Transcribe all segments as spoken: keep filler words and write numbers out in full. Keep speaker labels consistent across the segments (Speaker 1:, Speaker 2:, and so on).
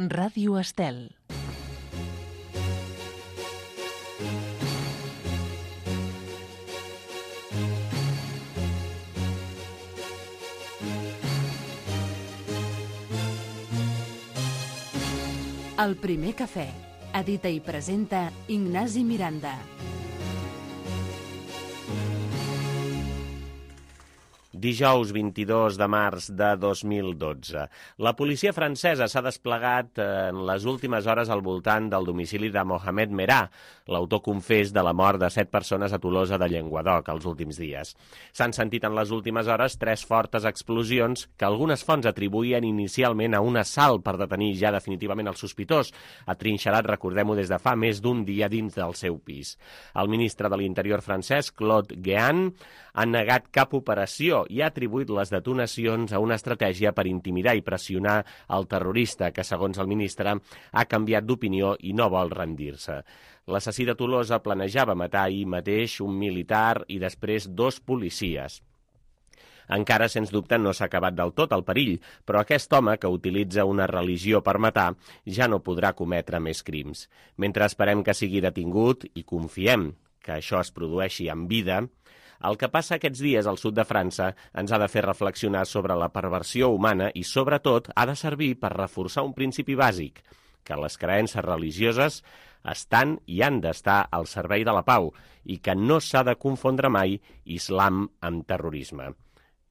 Speaker 1: Ràdio Estel. El primer cafè. Edita i presenta Ignasi Miranda.
Speaker 2: Dijous vint-i-dos de març de dos mil dotze. La policia francesa s'ha desplegat en les últimes hores al voltant del domicili de Mohamed Merah, l'autor confés de la mort de set persones a Tolosa de Llenguadoc els últims dies. S'han sentit en les últimes hores tres fortes explosions que algunes fonts atribuïen inicialment a un assalt per detenir ja definitivament el sospitós, atrinxerat, recordem-ho, des de fa més d'un dia dins del seu pis. El ministre de l'Interior francès, Claude Guéant, ha negat cap operació i ha atribuït les detonacions a una estratègia per intimidar i pressionar el terrorista, que, segons el ministre, ha canviat d'opinió i no vol rendir-se. L'assassí de Tolosa planejava matar ahir mateix un militar i després dos policies. Encara, sens dubte, no s'ha acabat del tot el perill, però aquest home, que utilitza una religió per matar, ja no podrà cometre més crims. Mentre esperem que sigui detingut i confiem que això es produeixi en vida, el que passa aquests dies al sud de França ens ha de fer reflexionar sobre la perversió humana i, sobretot, ha de servir per reforçar un principi bàsic, que les creences religioses estan i han d'estar al servei de la pau i que no s'ha de confondre mai islam amb terrorisme.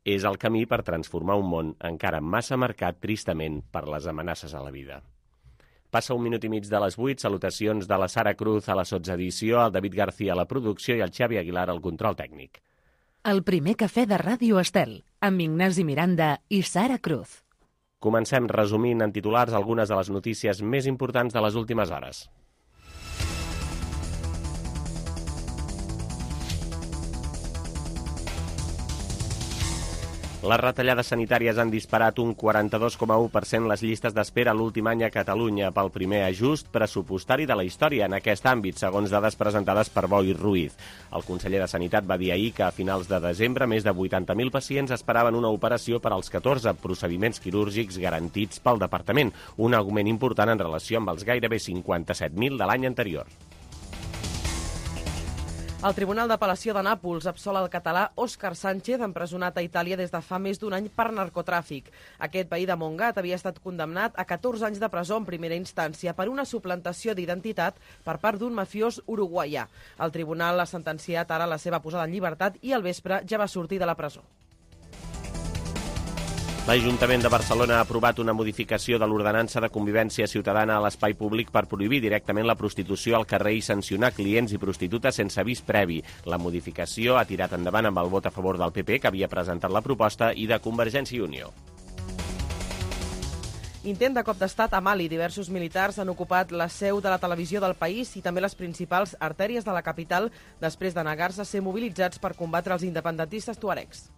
Speaker 2: És el camí per transformar un món encara massa marcat, tristament, per les amenaces a la vida. Passa un minut i mig de les vuit, salutacions de la Sara Cruz a la sotsedició, el David García a la producció i el Xavi Aguilar al control tècnic.
Speaker 1: El primer cafè de Ràdio Estel, amb Ignasi Miranda i Sara Cruz.
Speaker 2: Comencem resumint en titulars algunes de les notícies més importants de les últimes hores. Les retallades sanitàries han disparat un quaranta-dos coma u per cent les llistes d'espera l'últim any a Catalunya pel primer ajust pressupostari de la història en aquest àmbit, segons dades presentades per Boi Ruiz. El conseller de Sanitat va dir ahir que a finals de desembre més de vuitanta mil pacients esperaven una operació per als catorze procediments quirúrgics garantits pel departament, un augment important en relació amb els gairebé cinquanta-set mil de l'any anterior.
Speaker 3: El Tribunal d'Apel·lació de Nàpols absol el català Òscar Sánchez, empresonat a Itàlia des de fa més d'un any per narcotràfic. Aquest veí de Montgat havia estat condemnat a catorze anys de presó en primera instància per una suplantació d'identitat per part d'un mafiós uruguaià. El tribunal ha sentenciat ara la seva posada en llibertat i al vespre ja va sortir de la presó.
Speaker 2: L'Ajuntament de Barcelona ha aprovat una modificació de l'ordenança de convivència ciutadana a l'espai públic per prohibir directament la prostitució al carrer i sancionar clients i prostitutes sense avís previ. La modificació ha tirat endavant amb el vot a favor del P P, que havia presentat la proposta, i de Convergència i Unió.
Speaker 3: Intent de cop d'estat a Mali. Diversos militars han ocupat la seu de la televisió del país i també les principals artèries de la capital després de negar-se a ser mobilitzats per combatre els independentistes tuaregs.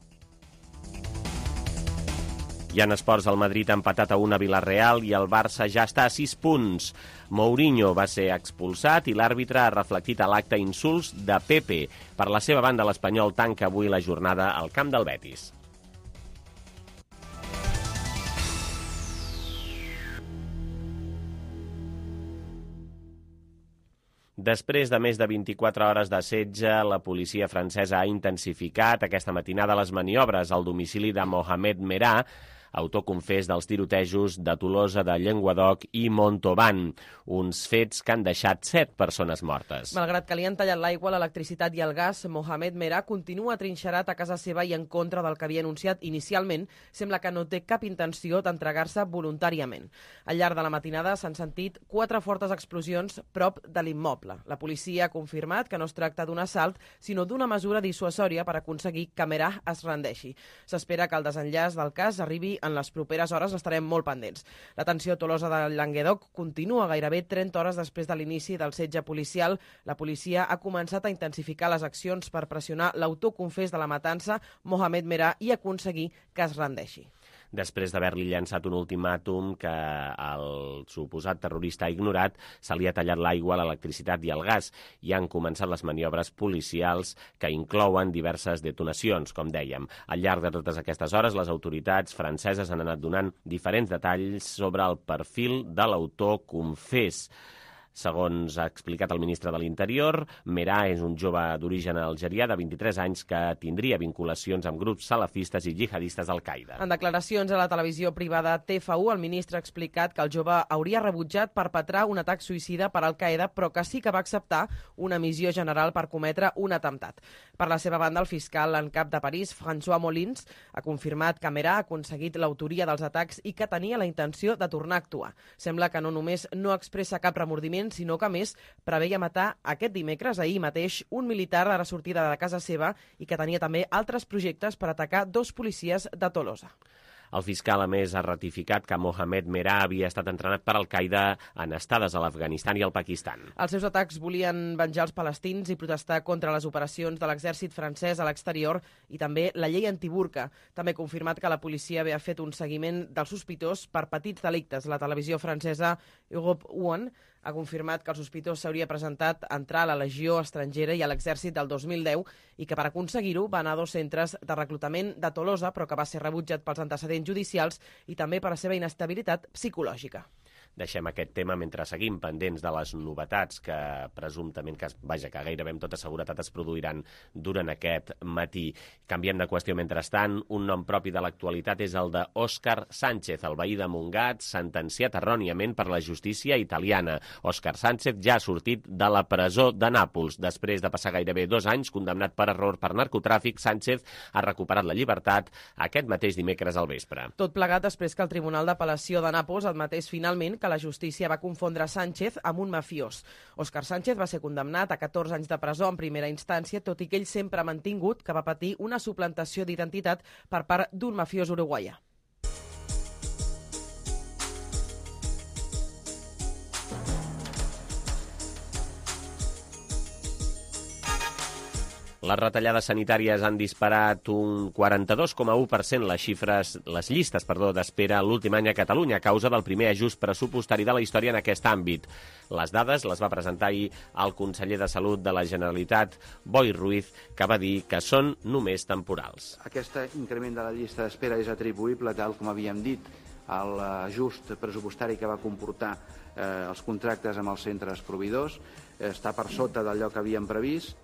Speaker 2: I en esports, el Madrid ha empatat a una a Villarreal i el Barça ja està a sis punts. Mourinho va ser expulsat i l'àrbitre ha reflectit a l'acte insults de Pepe. Per la seva banda, l'Espanyol tanca avui la jornada al camp del Betis. Després de més de vint-i-quatre hores de setge, la policia francesa ha intensificat aquesta matinada les maniobres al domicili de Mohamed Merah, autor confés dels tirotejos de Tolosa de Llenguadoc i Montauban, uns fets que han deixat set persones mortes.
Speaker 3: Malgrat que li han tallat l'aigua, l'electricitat i el gas, Mohamed Merah continua trinxerat a casa seva i en contra del que havia anunciat inicialment, sembla que no té cap intenció d'entregar-se voluntàriament. Al llarg de la matinada s'han sentit quatre fortes explosions prop de l'immoble. La policia ha confirmat que no es tracta d'un assalt, sinó d'una mesura dissuasòria per aconseguir que Merah es rendeixi. S'espera que el desenllaç del cas arribi en les properes hores, estarem molt pendents. La tensió a Tolosa de Llenguadoc continua gairebé trenta hores després de l'inici del setge policial. La policia ha començat a intensificar les accions per pressionar l'autor confés de la matança, Mohamed Merah, i aconseguir que es rendeixi.
Speaker 2: després d'haver-li llançat un ultimàtum que el suposat terrorista ha ignorat, se li ha tallat l'aigua, l'electricitat i el gas i han començat les maniobres policials que inclouen diverses detonacions, com dèiem. Al llarg de totes aquestes hores, les autoritats franceses han anat donant diferents detalls sobre el perfil de l'autor confés. Segons ha explicat el ministre de l'Interior, Merah és un jove d'origen algerià de vint-i-tres anys que tindria vinculacions amb grups salafistes i jihadistes d'Al-Qaeda.
Speaker 3: En declaracions a la televisió privada T F U, el ministre ha explicat que el jove hauria rebutjat perpetrar un atac suïcida per Al-Qaeda, però que sí que va acceptar una missió general per cometre un atemptat. Per la seva banda, el fiscal en cap de París, François Molins, ha confirmat que Merah ha aconseguit l'autoria dels atacs i que tenia la intenció de tornar a actuar. Sembla que no només no expressa cap remordiment, sinó que, a més, preveia matar aquest dimecres, ahir mateix, un militar a la sortida de casa seva i que tenia també altres projectes per atacar dos policies de Tolosa.
Speaker 2: El fiscal, a més, ha ratificat que Mohamed Merah havia estat entrenat per Al-Qaeda en estades a l'Afganistan i al Pakistan.
Speaker 3: Els seus atacs volien venjar els palestins i protestar contra les operacions de l'exèrcit francès a l'exterior i també la llei antiburca. També ha confirmat que la policia havia fet un seguiment del sospitós per petits delictes. La televisió francesa Europe un ha confirmat que el sospitós s'hauria presentat a entrar a la Legió estrangera i a l'exèrcit del dos mil deu i que per aconseguir-ho va anar a dos centres de reclutament de Tolosa, però que va ser rebutjat pels antecedents judicials i també per la seva inestabilitat psicològica.
Speaker 2: Deixem aquest tema mentre seguim pendents de les novetats que presumptament, que, vaja, que gairebé amb tota seguretat es produiran durant aquest matí. Canviem de qüestió mentrestant. Un nom propi de l'actualitat és el d'Òscar Sánchez, el veí de Montgat, sentenciat erròniament per la justícia italiana. Òscar Sánchez ja ha sortit de la presó de Nàpols. Després de passar gairebé dos anys condemnat per error per narcotràfic, Sánchez ha recuperat la llibertat aquest mateix dimecres al vespre.
Speaker 3: Tot plegat després que el Tribunal d'Apel·lació de Nàpols admetés finalment que la justícia va confondre Sánchez amb un mafiós. Òscar Sánchez va ser condemnat a catorze anys de presó en primera instància, tot i que ell sempre ha mantingut que va patir una suplantació d'identitat per part d'un mafiós uruguaià.
Speaker 2: Les retallades sanitàries han disparat un quaranta-dos coma u per cent les xifres, les llistes perdó, d'espera l'últim any a Catalunya a causa del primer ajust pressupostari de la història en aquest àmbit. Les dades les va presentar ahir el conseller de Salut de la Generalitat, Boi Ruiz, que va dir que són només temporals.
Speaker 4: Aquest increment de la llista d'espera és atribuïble, tal com havíem dit, a l'ajust pressupostari que va comportar eh, els contractes amb els centres proveïdors. Està per sota d'allò que havíem previst.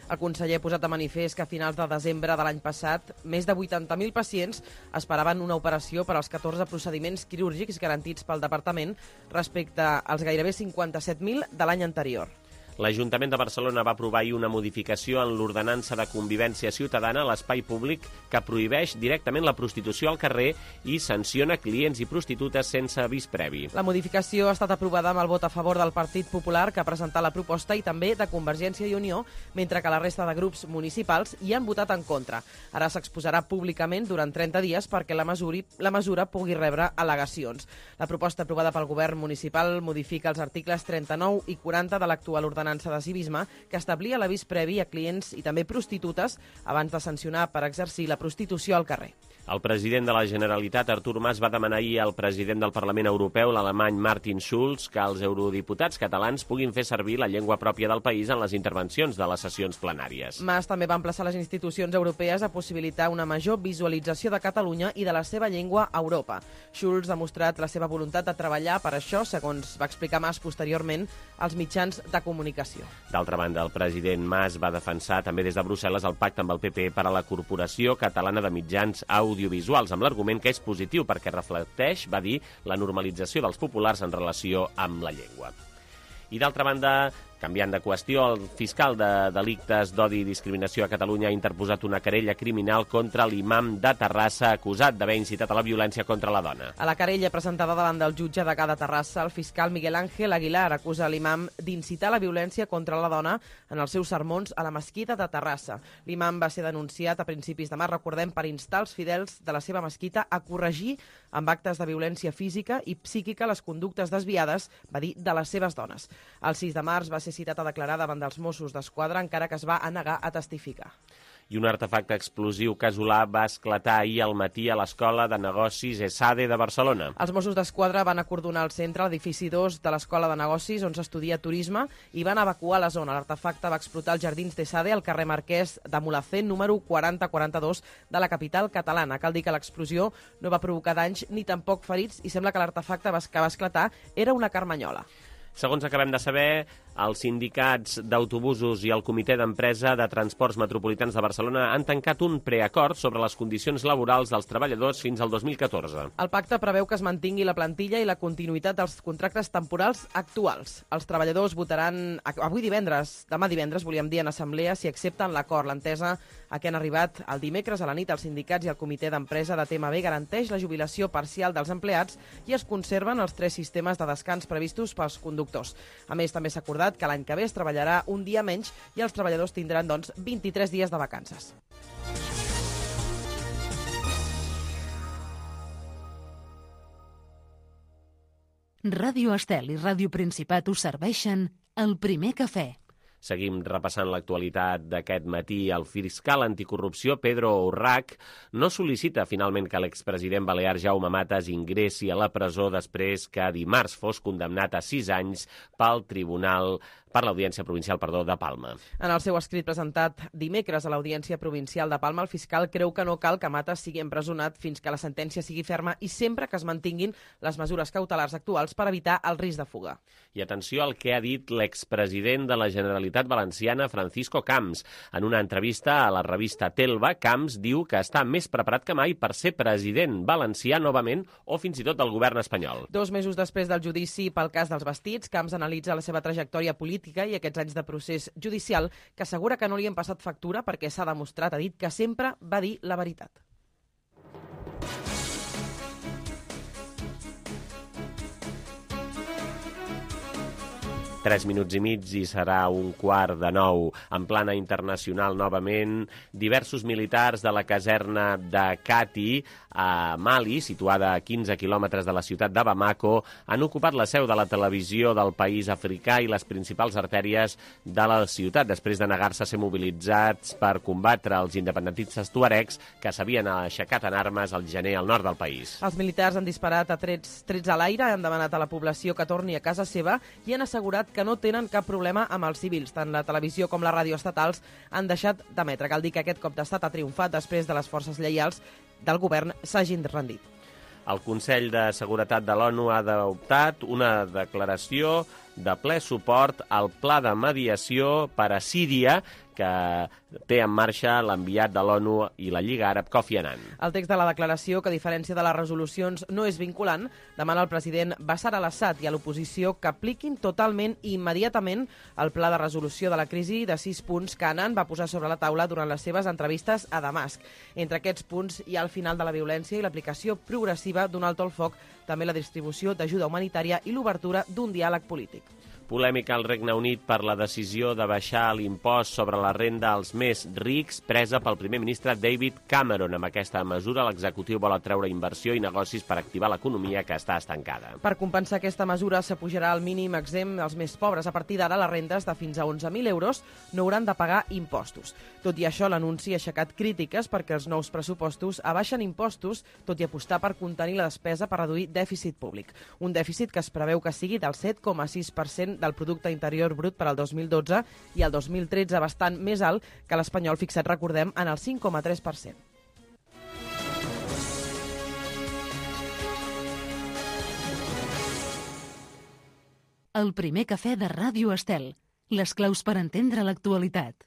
Speaker 3: El conseller ha posat de manifest que a finals de desembre de l'any passat més de vuitanta mil pacients esperaven una operació per als catorze procediments quirúrgics garantits pel departament respecte als gairebé cinquanta-set mil de l'any anterior.
Speaker 2: L'Ajuntament de Barcelona va aprovar ahir una modificació en l'ordenança de convivència ciutadana a l'espai públic que prohibeix directament la prostitució al carrer i sanciona clients i prostitutes sense avís previ.
Speaker 3: La modificació ha estat aprovada amb el vot a favor del Partit Popular, que ha presentat la proposta, i també de Convergència i Unió, mentre que la resta de grups municipals hi han votat en contra. Ara s'exposarà públicament durant trenta dies perquè la, mesuri, la mesura pugui rebre al·legacions. La proposta aprovada pel govern municipal modifica els articles trenta-nou i quaranta de l'actual ordenança de civisme, que establia l'avís previ a clients i també prostitutes abans de sancionar per exercir la prostitució al carrer.
Speaker 2: El president de la Generalitat, Artur Mas, va demanar ahir al president del Parlament Europeu, l'alemany Martin Schulz, que els eurodiputats catalans puguin fer servir la llengua pròpia del país en les intervencions de les sessions plenàries.
Speaker 3: Mas també va emplaçar les institucions europees a possibilitar una major visualització de Catalunya i de la seva llengua a Europa. Schulz ha mostrat la seva voluntat de treballar per això, segons va explicar Mas posteriorment als mitjans de comunicació.
Speaker 2: D'altra banda, el president Mas va defensar també des de Brussel·les el pacte amb el P P per a la Corporació Catalana de Mitjans Audiovisuals, amb l'argument que és positiu perquè reflecteix, va dir, la normalització dels populars en relació amb la llengua. I d'altra banda, canviant de qüestió, el fiscal de delictes d'odi i discriminació a Catalunya ha interposat una querella criminal contra l'imam de Terrassa acusat d'haver incitat a la violència contra la dona.
Speaker 3: A la querella presentada davant del jutge de cada Terrassa, el fiscal Miguel Ángel Aguilar acusa l'imam d'incitar la violència contra la dona en els seus sermons a la mesquita de Terrassa. L'imam va ser denunciat a principis de març, recordem, per instar els fidels de la seva mesquita a corregir amb actes de violència física i psíquica les conductes desviades, va dir, de les seves dones. El sis de març va ser citat a declarar davant dels Mossos d'Esquadra, encara que es va negar a testificar.
Speaker 2: i un artefacte explosiu casolà va esclatar ahir al matí a l'Escola de Negocis ESADE de Barcelona.
Speaker 3: Els Mossos d'Esquadra van acordonar el centre, l'edifici dos de l'Escola de Negocis, on s'estudia turisme, i van evacuar la zona. L'artefacte va explotar als jardins d'ESADE, al carrer Marquès de Mulhacén, número quaranta quaranta-dos de la capital catalana. Cal dir que l'explosió no va provocar danys ni tampoc ferits i sembla que l'artefacte que va esclatar era una carmanyola.
Speaker 2: Segons acabem de saber, els sindicats d'autobusos i el Comitè d'Empresa de Transports Metropolitans de Barcelona han tancat un preacord sobre les condicions laborals dels treballadors fins al dos mil catorze.
Speaker 3: El pacte preveu que es mantingui la plantilla i la continuïtat dels contractes temporals actuals. Els treballadors votaran avui divendres, demà divendres, volíem dir, en assemblea, si accepten l'acord. L'entesa a què han arribat el dimecres a la nit els sindicats i el Comitè d'Empresa de T M B garanteix la jubilació parcial dels empleats i es conserven els tres sistemes de descans previstos pels conductors. A més, també s'ha acordat que l'any que ve es treballarà un dia menys i els treballadors tindran, doncs, vint-i-tres dies de vacances.
Speaker 1: Ràdio Estel i Ràdio Principat us serveixen el primer cafè.
Speaker 2: Seguim repassant l'actualitat d'aquest matí. El fiscal anticorrupció Pedro Urrach no sol·licita finalment que l'expresident balear Jaume Matas ingressi a la presó després que dimarts fos condemnat a sis anys pel tribunal per l'Audiència Provincial perdó, de Palma.
Speaker 3: En el seu escrit presentat dimecres a l'Audiència Provincial de Palma, el fiscal creu que no cal que Matas sigui empresonat fins que la sentència sigui ferma i sempre que es mantinguin les mesures cautelars actuals per evitar el risc de fuga.
Speaker 2: I atenció al que ha dit l'expresident de la Generalitat Valenciana, Francisco Camps. En una entrevista a la revista Telva, Camps diu que està més preparat que mai per ser president valencià novament o fins i tot del govern espanyol.
Speaker 3: Dos mesos després del judici pel cas dels vestits, Camps analitza la seva trajectòria política i aquests anys de procés judicial que assegura que no li han passat factura perquè s'ha demostrat, ha dit, que sempre va dir la veritat.
Speaker 2: Tres minuts i mig i serà un quart de nou. En plana internacional, novament, diversos militars de la caserna de Kati, a Mali, situada a quinze quilòmetres de la ciutat de Bamako, han ocupat la seu de la televisió del país africà i les principals artèries de la ciutat, després de negar-se a ser mobilitzats per combatre els independentistes tuaregs que s'havien aixecat en armes al gener al nord del país.
Speaker 3: Els militars han disparat a trets, trets a l'aire, han demanat a la població que torni a casa seva i han assegurat que no tenen cap problema amb els civils. Tant la televisió com la ràdio estatals han deixat d'emetre. Cal dir que aquest cop d'estat ha triomfat després de les forces lleials del govern s'hagin rendit.
Speaker 2: El Consell de Seguretat de l'ONU ha adoptat una declaració de ple suport al pla de mediació per a Síria que té en marxa l'enviat de l'ONU i la Lliga Àrab Kofi Annan.
Speaker 3: El text de la declaració, que a diferència de les resolucions no és vinculant, demana al president Bashar al-Assad i a l'oposició que apliquin totalment i immediatament el pla de resolució de la crisi de sis punts que Annan va posar sobre la taula durant les seves entrevistes a Damasc. Entre aquests punts hi ha el final de la violència i l'aplicació progressiva d'un alto al foc, també la distribució d'ajuda humanitària i l'obertura d'un diàleg polític.
Speaker 2: Polèmica al Regne Unit per la decisió de baixar l'impost sobre la renda als més rics presa pel primer ministre David Cameron. Amb aquesta mesura, l'executiu vol atreure inversió i negocis per activar l'economia que està estancada.
Speaker 3: Per compensar aquesta mesura, s'apujarà el mínim exempt als més pobres. A partir d'ara, les rendes de fins a onze mil euros no hauran de pagar impostos. Tot i això, l'anunci ha aixecat crítiques perquè els nous pressupostos abaixen impostos, tot i apostar per contenir la despesa per reduir dèficit públic. Un dèficit que es preveu que sigui del set coma sis per cent del Producte Interior Brut per al dos mil dotze i el dos mil tretze bastant més alt que l'espanyol, fixat, recordem, en el cinc coma tres per cent.
Speaker 1: El primer cafè de Ràdio Estel. Les claus per entendre l'actualitat.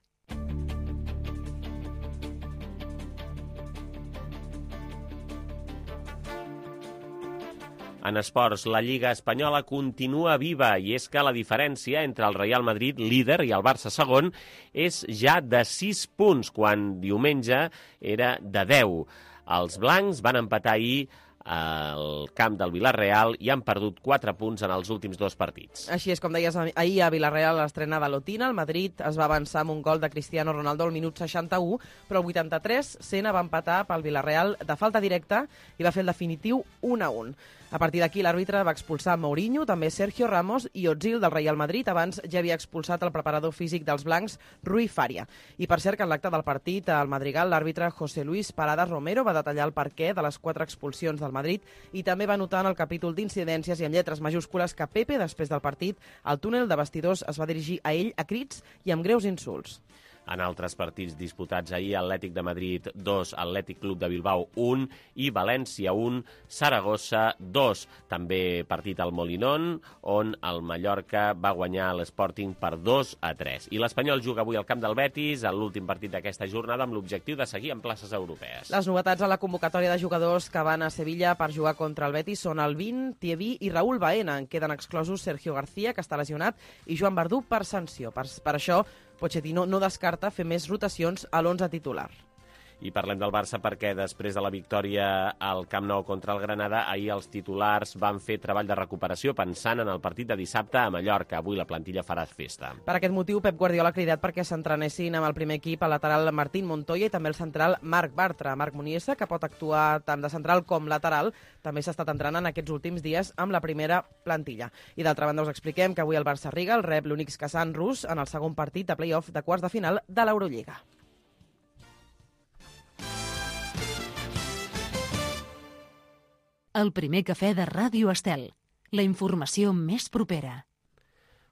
Speaker 2: En esports, la Lliga espanyola continua viva i és que la diferència entre el Real Madrid, líder, i el Barça, segon, és ja de sis punts, quan diumenge era de deu. Els blancs van empatar ahir al camp del Villarreal i han perdut quatre punts en els últims dos partits.
Speaker 3: Així és, com deies, ahir a Villarreal l'estrena de Lotina, el Madrid es va avançar amb un gol de Cristiano Ronaldo al minut seixanta-u, però al vuitanta-tres Sena va empatar pel Villarreal de falta directa i va fer el definitiu un a un. A partir d'aquí, l'àrbitre va expulsar Mourinho, també Sergio Ramos i Ozil del Real Madrid. Abans ja havia expulsat el preparador físic dels blancs, Rui Faria. I per cert que en l'acte del partit, al Madrigal, l'àrbitre José Luis Paradas Romero va detallar el perquè de les quatre expulsions del Madrid i també va notar en el capítol d'incidències i en lletres majúscules que Pepe, després del partit, al túnel de vestidors es va dirigir a ell a crits i amb greus insults.
Speaker 2: En altres partits disputats ahir, Atlètic de Madrid dos, Atlètic Club de Bilbao un i València un, Saragossa dos. També partit al Molinón, on el Mallorca va guanyar l'Sporting per dos a tres. I l'Espanyol juga avui al camp del Betis, en l'últim partit d'aquesta jornada, amb l'objectiu de seguir en places europees.
Speaker 3: Les novetats a la convocatòria de jugadors que van a Sevilla per jugar contra el Betis són Alvin, Thievi i Raúl Baena. En queden exclosos Sergio García, que està lesionat, i Joan Verdú per sanció. Per, per això, Pochettino no descarta fer més rotacions a l'onze titular.
Speaker 2: I parlem del Barça perquè després de la victòria al Camp Nou contra el Granada, ahir els titulars van fer treball de recuperació pensant en el partit de dissabte a Mallorca. Avui la plantilla farà festa.
Speaker 3: Per aquest motiu, Pep Guardiola ha cridat perquè s'entrenessin amb el primer equip al lateral Martín Montoya i també el central Marc Bartra. Marc Muniesa, que pot actuar tant de central com lateral, també s'ha estat entrenant aquests últims dies amb la primera plantilla. I d'altra banda us expliquem que avui el Barça Riga el rep l'Unix Kazan rus en el segon partit de play-off de quarts de final de l'Eurolliga.
Speaker 1: El primer cafè de Ràdio Estel. La informació més propera.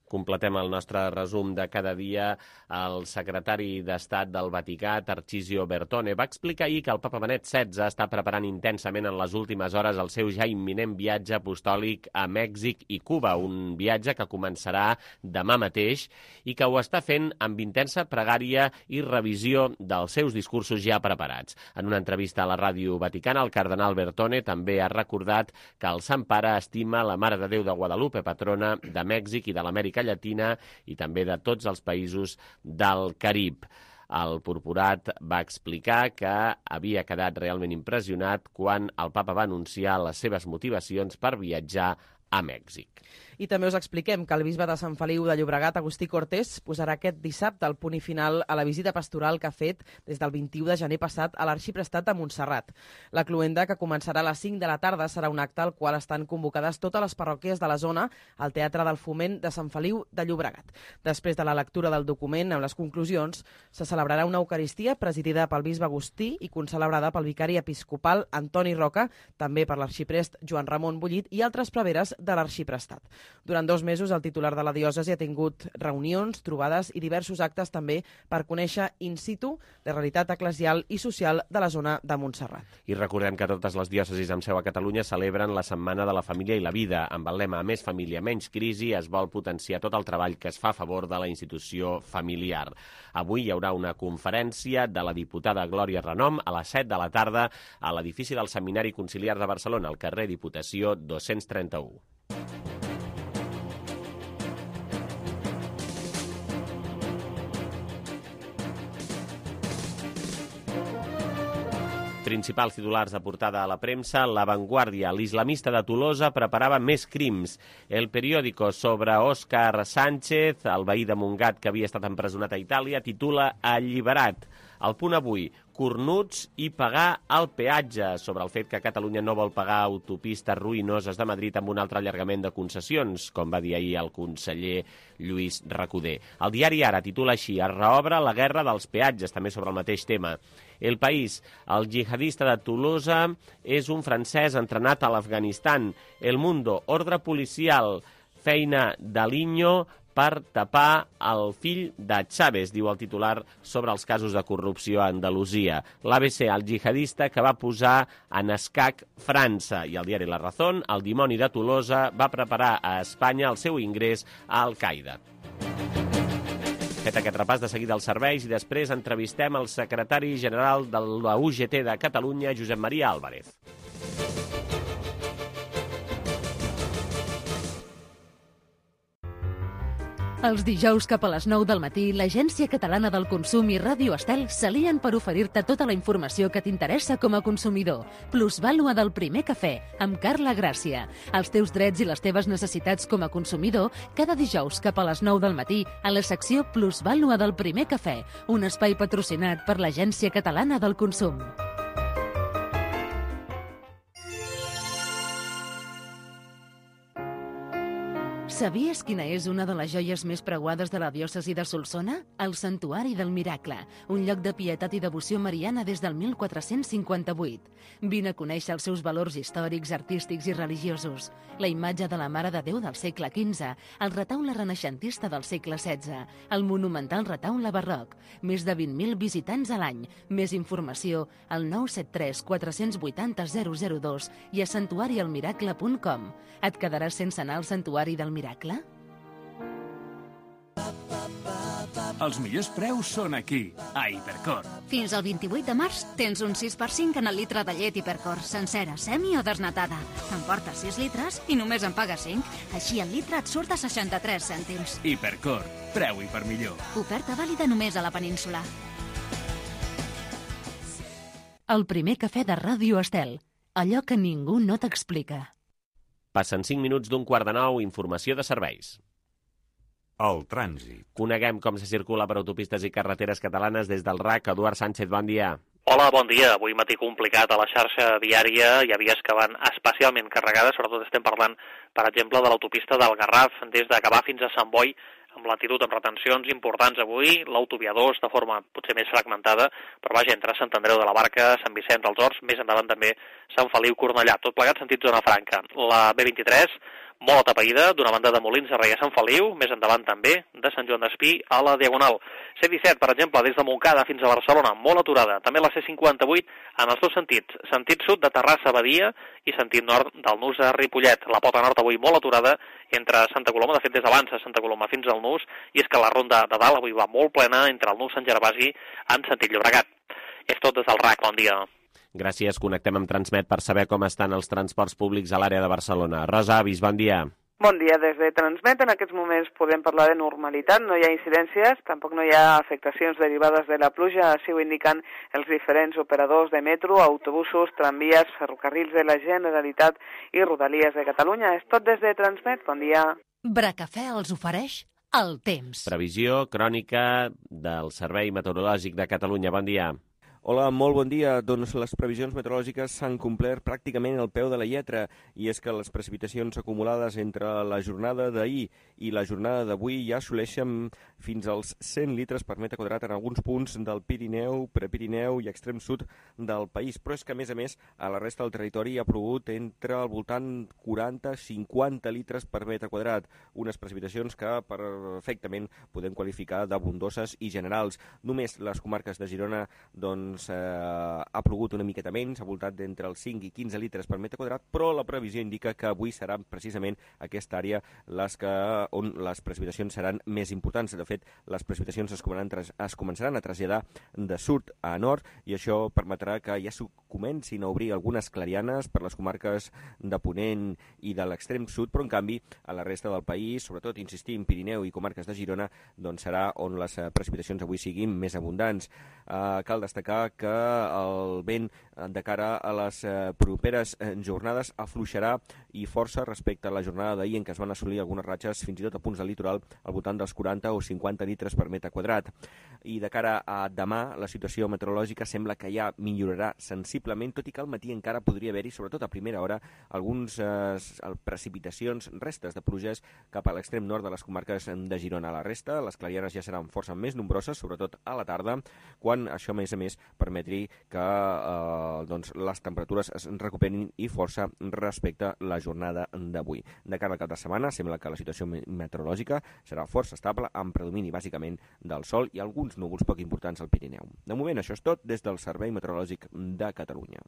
Speaker 2: Completem el nostre resum de cada dia. El secretari d'Estat del Vaticà, Tarcisio Bertone, va explicar ahir que el papa Benet setze està preparant intensament en les últimes hores el seu ja imminent viatge apostòlic a Mèxic i Cuba, un viatge que començarà demà mateix i que ho està fent amb intensa pregària i revisió dels seus discursos ja preparats. En una entrevista a la ràdio vaticana, el cardenal Bertone també ha recordat que el Sant Pare estima la Mare de Déu de Guadalupe, patrona de Mèxic i de l'Amèrica Llatina i també de tots els països del Carib. El purpurat va explicar que havia quedat realment impressionat quan el papa va anunciar les seves motivacions per viatjar a Mèxic.
Speaker 3: I també us expliquem que el bisbe de Sant Feliu de Llobregat, Agustí Cortés, posarà aquest dissabte el punt i final a la visita pastoral que ha fet des del vint-i-u de gener passat a l'Arxiprestat de Montserrat. La cloenda, que començarà a les cinc de la tarda, serà un acte al qual estan convocades totes les parròquies de la zona al Teatre del Foment de Sant Feliu de Llobregat. Després de la lectura del document amb les conclusions, se celebrarà una eucaristia presidida pel bisbe Agustí i concelebrada pel vicari episcopal Antoni Roca, també per l'arxiprest Joan Ramon Bullit i altres preveres de l'Arxiprestat. Durant dos mesos, el titular de la diòcesi ha tingut reunions, trobades i diversos actes també per conèixer in situ la realitat eclesial i social de la zona de Montserrat.
Speaker 2: I recordem que totes les diòcesis amb seu a Catalunya celebren la Setmana de la Família i la Vida. Amb el lema Més família, menys crisi, es vol potenciar tot el treball que es fa a favor de la institució familiar. Avui hi haurà una conferència de la diputada Glòria Renom a les set de la tarda a l'edifici del Seminari Conciliar de Barcelona, al carrer Diputació dos-cents trenta-u. Principals titulars de portada a la premsa: La Vanguardia, l'islamista de Tolosa preparava més crims. El Periódico, sobre Òscar Sánchez, el veí de Montgat que havia estat empresonat a Itàlia, titula Alliberat. El Punt Avui, cornuts i pagar el peatge, sobre el fet que Catalunya no vol pagar autopistes ruïnoses de Madrid amb un altre allargament de concessions, com va dir ahir el conseller Lluís Recoder. El diari Ara titula així: Es reobre la guerra dels peatges, també sobre el mateix tema. El País, el jihadista de Tolosa és un francès entrenat a l'Afganistan. El Mundo, ordre policial, feina d'Aliño per tapar el fill de Chávez, diu el titular sobre els casos de corrupció a Andalusia. L'A B C, el jihadista que va posar en escac França. I el diari La Razón, el dimoni de Tolosa va preparar a Espanya el seu ingrés a Al-Qaeda. Fet aquest repàs, de seguida els serveis i després entrevistem el secretari general de la U G T de Catalunya, Josep Maria Álvarez.
Speaker 1: Els dijous cap a les nou del matí, l'Agència Catalana del Consum i Ràdio Estel s'alien per oferir-te tota la informació que t'interessa com a consumidor. Plusvàlua del primer cafè, amb Carla Gràcia. Els teus drets i les teves necessitats com a consumidor, cada dijous cap a les nou del matí, a la secció Plusvàlua del primer cafè, un espai patrocinat per l'Agència Catalana del Consum. Sabies quina és una de les joies més preuades de la diòcesi de Solsona? El Santuari del Miracle, un lloc de pietat i devoció mariana des del mil quatre-cents cinquanta-vuit. Vine a conèixer els seus valors històrics, artístics i religiosos. La imatge de la Mare de Déu del segle quinze, el retaule renaixentista del segle setze, el monumental retaule barroc, més de vint mil visitants a l'any. Més informació al nou set tres quatre vuit zero zero zero dos i a santuari el miracle punt com. Et quedaràs sense anar al Santuari del Miracle?
Speaker 5: Els millors preus són aquí, a Hipercor.
Speaker 6: Fins al vint-i-vuit de març tens un sis per cinc en el litre de llet Hipercor, sencera, semi o desnatada. T'emportes sis litres i només en pagues cinc. Així el litre et surt a seixanta-tres cèntims.
Speaker 5: Hipercor, preu i per millor.
Speaker 6: Oferta vàlida només a la península.
Speaker 1: El primer cafè de Ràdio Estel. Allò que ningú no t'explica.
Speaker 2: Passen cinc minuts d'un quart de nou, informació de serveis.
Speaker 7: El trànsit.
Speaker 2: Coneguem com se circula per autopistes i carreteres catalanes des del R A C. Eduard Sánchez, bon dia.
Speaker 8: Hola, bon dia. Avui matí complicat a la xarxa viària. Hi ha vies que van especialment carregades, sobretot estem parlant, per exemple, de l'autopista del Garraf, des de Gavà fins a Sant Boi, amb latitud amb retencions importants avui, l'autovia dos de forma potser més fragmentada, però vaja, entre Sant Andreu de la Barca, Sant Vicenç dels Horts, més endavant també Sant Feliu-Cornellà, tot plegat sentit zona franca. La B vint-i-tres, molt atapeïda, d'una banda de Molins de Rei a Sant Feliu, més endavant també de Sant Joan d'Espí a la Diagonal. C disset, per exemple, des de Montcada fins a Barcelona, molt aturada. També la C cinquanta-vuit en els dos sentits, sentit sud de Terrassa a Badia i sentit nord del Nus a Ripollet. La pota nord avui molt aturada entre Santa Coloma, de fet des d'abans a Santa Coloma fins al Nus, i és que la ronda de dalt avui va molt plena entre el Nus Sant Gervasi en sentit Llobregat. És tot des del R A C, bon dia.
Speaker 2: Gràcies, connectem amb Transmet per saber com estan els transports públics a l'àrea de Barcelona. Rosa Avis, bon dia.
Speaker 9: Bon dia, des de Transmet en aquests moments podem parlar de normalitat, no hi ha incidències, tampoc no hi ha afectacions derivades de la pluja, així ho indiquen els diferents operadors de metro, autobusos, tramvies, ferrocarrils de la Generalitat i Rodalies de Catalunya. És tot des de Transmet, bon dia.
Speaker 1: Bracafè els ofereix el temps.
Speaker 2: Previsió crònica del Servei Meteorològic de Catalunya, bon dia.
Speaker 10: Hola, molt bon dia. Doncs les previsions meteorològiques s'han complert pràcticament al peu de la lletra, i és que les precipitacions acumulades entre la jornada d'ahir i la jornada d'avui ja assoleixen fins als cent litres per metre quadrat en alguns punts del Pirineu, Prepirineu i extrem sud del país. Però és que, a més a més, a la resta del territori ha plogut entre al voltant quaranta a cinquanta litres per metre quadrat, unes precipitacions que perfectament podem qualificar d'abundoses i generals. Només les comarques de Girona, doncs, Eh, ha plogut una miqueta menys, ha voltat d'entre els cinc i quinze litres per metre quadrat, però la previsió indica que avui serà precisament aquesta àrea les que, on les precipitacions seran més importants. De fet, les precipitacions es començaran, es començaran a traslladar de sud a nord, i això permetrà que ja comencin a obrir algunes clarianes per les comarques de Ponent i de l'extrem sud, però en canvi a la resta del país, sobretot, insistim, Pirineu i comarques de Girona, doncs serà on les precipitacions avui siguin més abundants. Eh, cal destacar que el vent de cara a les properes jornades afluixarà i força respecte a la jornada d'ahir, en què es van assolir algunes ratxes fins i tot a punts del litoral al voltant dels quaranta o cinquanta litres per metre quadrat. I de cara a demà, la situació meteorològica sembla que ja millorarà sensiblement, tot i que al matí encara podria haver-hi, sobretot a primera hora, algunes eh, precipitacions, restes de pluges cap a l'extrem nord de les comarques de Girona. A la resta, les clarianes ja seran força més nombroses, sobretot a la tarda, quan això, a més a més, permetri que eh, doncs, les temperatures es recuperin i força respecte a la jornada d'avui. De cara al cap de setmana, sembla que la situació meteorològica serà força estable, amb predomini bàsicament del sol i alguns núvols poc importants al Pirineu. De moment, això és tot des del Servei Meteorològic de Catalunya.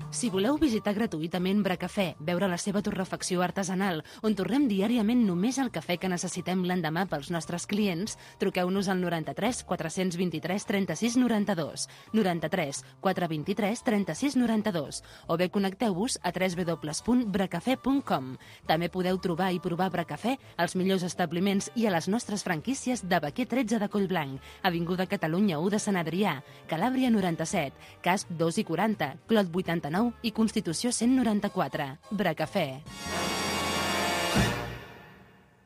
Speaker 1: Si voleu visitar gratuïtament Bracafè, veure la seva torrefacció artesanal, on torrem diàriament només el cafè que necessitem l'endemà pels nostres clients, truqueu-nos al noranta-tres quatre vint-i-tres trenta-sis noranta-dos, noranta-tres quatre vint-i-tres trenta-sis noranta-dos, o bé connecteu-vos a w w w punt bracafè punt com. També podeu trobar i provar Bracafè als millors establiments i a les nostres franquícies de Baquer tretze de Collblanc, Avinguda Catalunya u de Sant Adrià, Calàbria noranta-set, Casp dos i quaranta, Clot vuitanta-nou i Constitució cent noranta-quatre. Bracafè.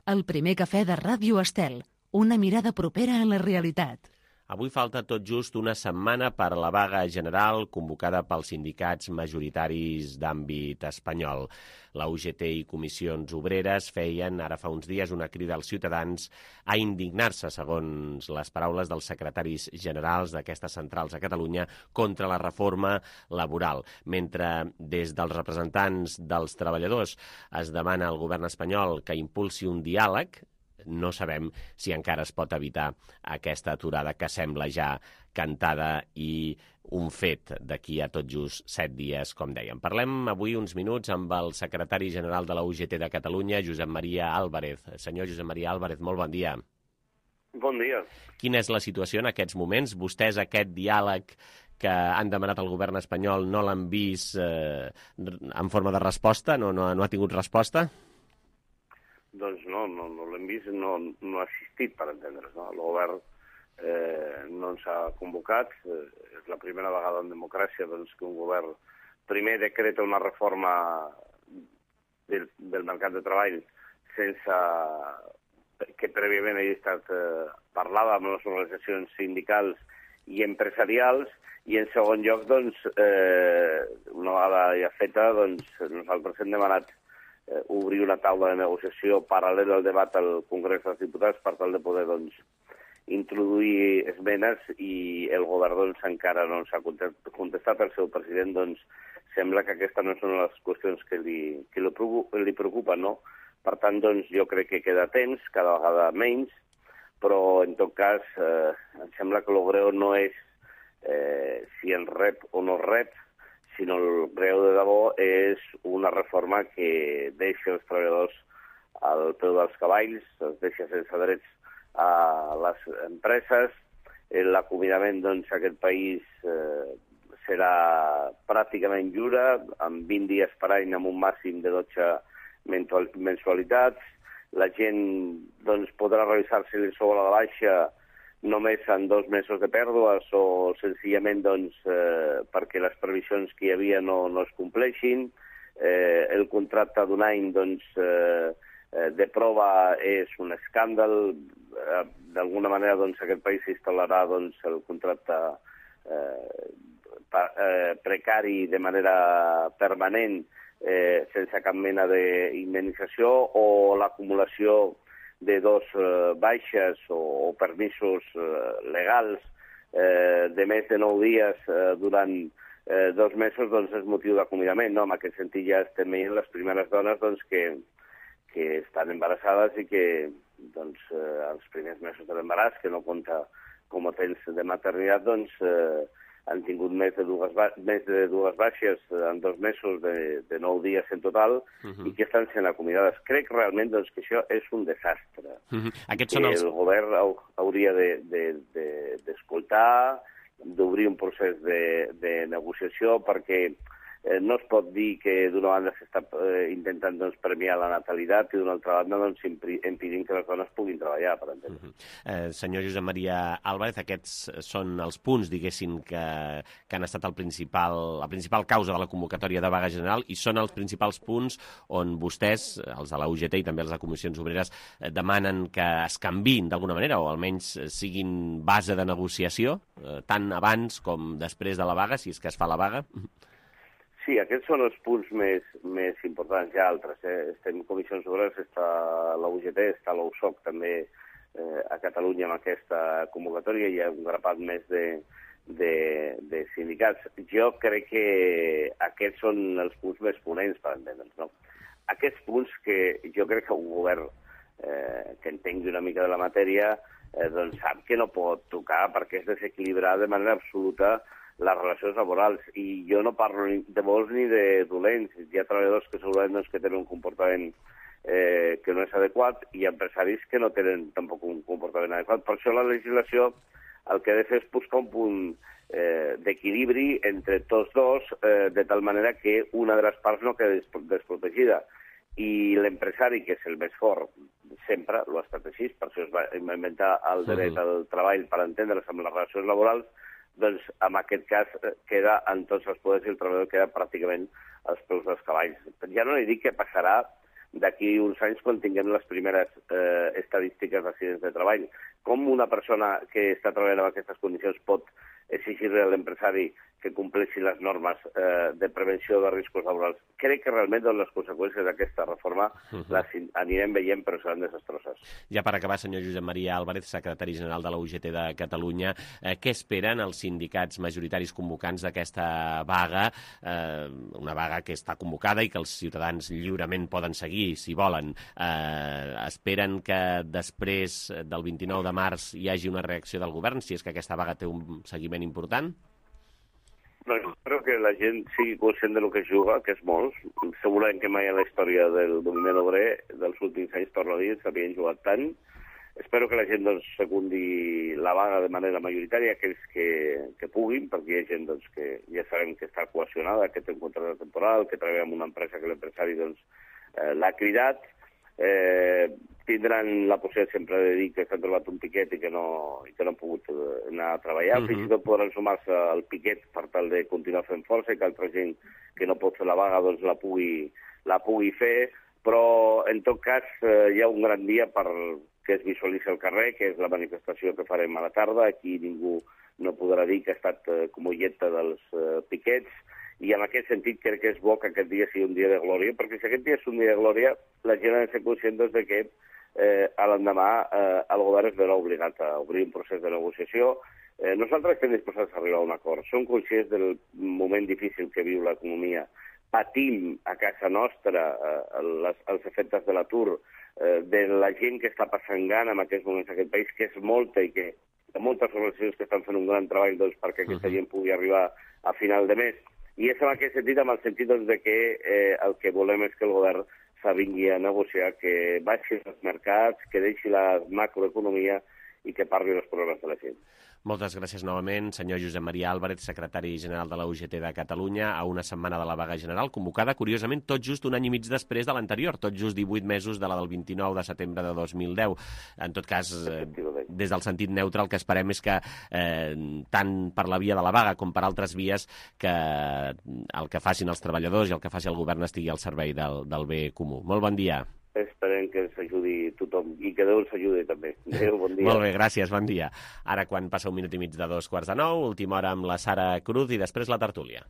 Speaker 1: El primer cafè de Ràdio Estel. Una mirada propera a la realitat.
Speaker 2: Avui falta tot just una setmana per a la vaga general convocada pels sindicats majoritaris d'àmbit espanyol. La U G T i comissions obreres feien ara fa uns dies una crida als ciutadans a indignar-se, segons les paraules dels secretaris generals d'aquestes centrals a Catalunya, contra la reforma laboral. Mentre des dels representants dels treballadors es demana al govern espanyol que impulsi un diàleg, no sabem si encara es pot evitar aquesta aturada que sembla ja cantada i un fet d'aquí a tot just set dies, com dèiem. Parlem avui uns minuts amb el secretari general de la U G T de Catalunya, Josep Maria Álvarez. Senyor Josep Maria Álvarez, molt bon dia.
Speaker 11: Bon dia.
Speaker 2: Quina és la situació en aquests moments? Vostès aquest diàleg que han demanat al govern espanyol no l'han vist eh, en forma de resposta? No, no, no ha tingut resposta?
Speaker 11: Doncs no, no, no l'hem vist, no, no ha assistit, per entendre's. No? El govern eh, no ens ha convocat. Eh, és la primera vegada en democràcia doncs, que un govern primer decreta una reforma del, del mercat de treball sense que prèviament hagi estat eh, parlada amb les organitzacions sindicals i empresarials, i en segon lloc, doncs, eh, una vegada ja feta, doncs, nosaltres hem demanat Eh, obrir una taula de negociació paral·lela al debat al Congrés dels Diputats per tal de poder doncs, introduir esmenes, i el govern doncs, encara no ens ha contestat. El seu president doncs, sembla que aquesta no és una de les qüestions que li, que li preocupa, no? Per tant, doncs, jo crec que queda temps, cada vegada menys, però en tot cas eh, em sembla que el greu no és eh, si en rep o no rep, sinó el greu de debò és una reforma que deixa els treballadors al peu dels cavalls, els deixa sense drets a les empreses. L'acomiadament doncs, a aquest país eh, serà pràcticament lliure, amb vint dies per any, amb un màxim de dotze mensualitats. La gent doncs, podrà revisar-se el sou a la baixa només en dos mesos de pèrdues o senzillament doncs, eh, perquè les previsions que hi havia no, no es compleixin. Eh, el contracte d'un any doncs, eh, de prova és un escàndal. Eh, D'alguna manera doncs, aquest país s'instal·larà doncs, el contracte eh, pa, eh, precari de manera permanent eh, sense cap mena d'indemnització, o l'acumulació de dos eh, baixes o, o permisos eh, legals eh, de més de nou dies eh, durant eh, dos mesos, doncs és motiu d'acomiadament. No? En aquest sentit ja estem veient les primeres dones doncs, que, que estan embarassades i que doncs, eh, els primers mesos de l'embaràs, que no compta com a temps de maternitat, doncs, eh, han tingut més de dues, més de dues baixes en dos mesos de, de nou dies en total, uh-huh. i que estan sent acomiadades. Crec realment doncs, que això és un desastre.
Speaker 2: Uh-huh. Aquests
Speaker 11: que
Speaker 2: són els...
Speaker 11: el govern hauria d'escoltar, de, de, de, d'obrir un procés de, de negociació, perquè eh, no es pot dir que d'una banda s'està eh, intentant doncs, premiar la natalitat i d'una altra banda doncs, impedint que les dones puguin treballar, per entendre.
Speaker 2: Uh-huh. eh, senyor Josep Maria Álvarez, aquests són els punts, diguéssim, que, que han estat el principal, la principal causa de la convocatòria de vaga general, i són els principals punts on vostès, els de la U G T i també els de comissions obreres, eh, demanen que es canviïn d'alguna manera, o almenys siguin base de negociació, eh, tant abans com després de la vaga, si és que es fa la vaga.
Speaker 11: Sí, aquests són els punts més, més importants. Hi ha altres. Eh? Estem en comissions obreres, està la U G T, està l'U S O C també eh, a Catalunya amb aquesta convocatòria. Hi ha un grapat més de, de, de sindicats. Jo crec que aquests són els punts més ponents, per entendre'ns. No? Aquests punts que jo crec que un govern eh, que entengui una mica de la matèria eh, doncs sap que no pot tocar, perquè és desequilibrar de manera absoluta les relacions laborals, i jo no parlo ni de bons ni de dolents. Hi ha treballadors que segurament doncs, que tenen un comportament eh, que no és adequat, i empresaris que no tenen tampoc un comportament adequat. Per això la legislació el que ha de fer és buscar un punt eh, d'equilibri entre tots dos, eh, de tal manera que una de les parts no quedi desprotegida. I l'empresari, que és el més fort, sempre ho ha estat així, per això es va inventar el dret al treball per entendre's amb les relacions laborals, doncs en aquest cas queda en tots els poders i el treballador queda pràcticament als peus dels cavalls. Ja no li dic què passarà d'aquí uns anys quan tinguem les primeres eh, estadístiques d'accidents de treball. Com una persona que està treballant en aquestes condicions pot exigir a l'empresari que compleixi les normes eh, de prevenció de riscos laborals? Crec que realment doncs, les conseqüències d'aquesta reforma uh-huh. les anirem veient, però seran desastroses.
Speaker 2: Ja per acabar, senyor Josep Maria Álvarez, secretari general de la U G T de Catalunya, eh, què esperen els sindicats majoritaris convocants d'aquesta vaga, eh, una vaga que està convocada i que els ciutadans lliurement poden seguir, si volen. Eh, esperen que després del vint-i-nou de març hi hagi una reacció del govern, si és que aquesta vaga té un seguiment important?
Speaker 11: No, espero que la gent sigui conscient del que es juga, que és molt. Segurament que mai en la història del moviment obrer dels últims anys, torno a dir, s'havien jugat tant. Espero que la gent doncs, secundi la vaga de manera majoritària, aquells que, que puguin, perquè hi ha gent doncs, que ja sabem que està cohesionada, que té un contracte temporal, que treballa en una empresa que l'empresari doncs, eh, l'ha cridat. Eh, tindran la possibilitat sempre de dir que s'han trobat un piquet i que no, i que no han pogut anar a treballar. Uh-huh. Fins i tot podran sumar-se al piquet per tal de continuar fent força i que altra gent que no pot fer la vaga doncs, la, pugui, la pugui fer, però en tot cas eh, hi ha un gran dia per que es visualitzi al carrer, que és la manifestació que farem a la tarda. Aquí ningú no podrà dir que ha estat eh, comulleta dels eh, piquets, i en aquest sentit crec que és bo que aquest dia sigui un dia de glòria, perquè si aquest dia és un dia de glòria, la gent ha de ser conscient doncs, de que eh, a l'endemà eh, el govern es veurà obligat a obrir un procés de negociació. Eh, nosaltres estem disposats a arribar a un acord. Som conscients del moment difícil que viu l'economia. Patim a casa nostra eh, les, els efectes de l'atur, eh, de la gent que està passant gana en aquests moments en aquest país, que és molta i que hi ha moltes organitzacions que estan fent un gran treball doncs, perquè aquesta uh-huh. gent pugui arribar a final de mes. I és en aquest sentit, amb el sentit doncs, de que eh, el que volem és que el govern s'avingui a negociar, que baixi els mercats, que deixi la macroeconomia i que parli dels problemes de la gent.
Speaker 2: Moltes gràcies novament, senyor Josep Maria Álvarez, secretari general de la U G T de Catalunya, a una setmana de la vaga general, convocada, curiosament, tot just un any i mig després de l'anterior, tot just divuit mesos de la del vint-i-nou de setembre de dos mil deu. En tot cas, eh, des del sentit neutre, el que esperem és que, eh, tant per la via de la vaga com per altres vies, que el que facin els treballadors i el que faci el govern estigui al servei del, del bé comú. Molt bon dia.
Speaker 11: Esperem que ens ajudi tothom i que Déu ens ajudi també. Adéu, bon dia.
Speaker 2: Molt bé, gràcies, bon dia. Ara, quan passa un minut i mig de dos quarts de nou, última hora amb la Sara Cruz i després la tertúlia.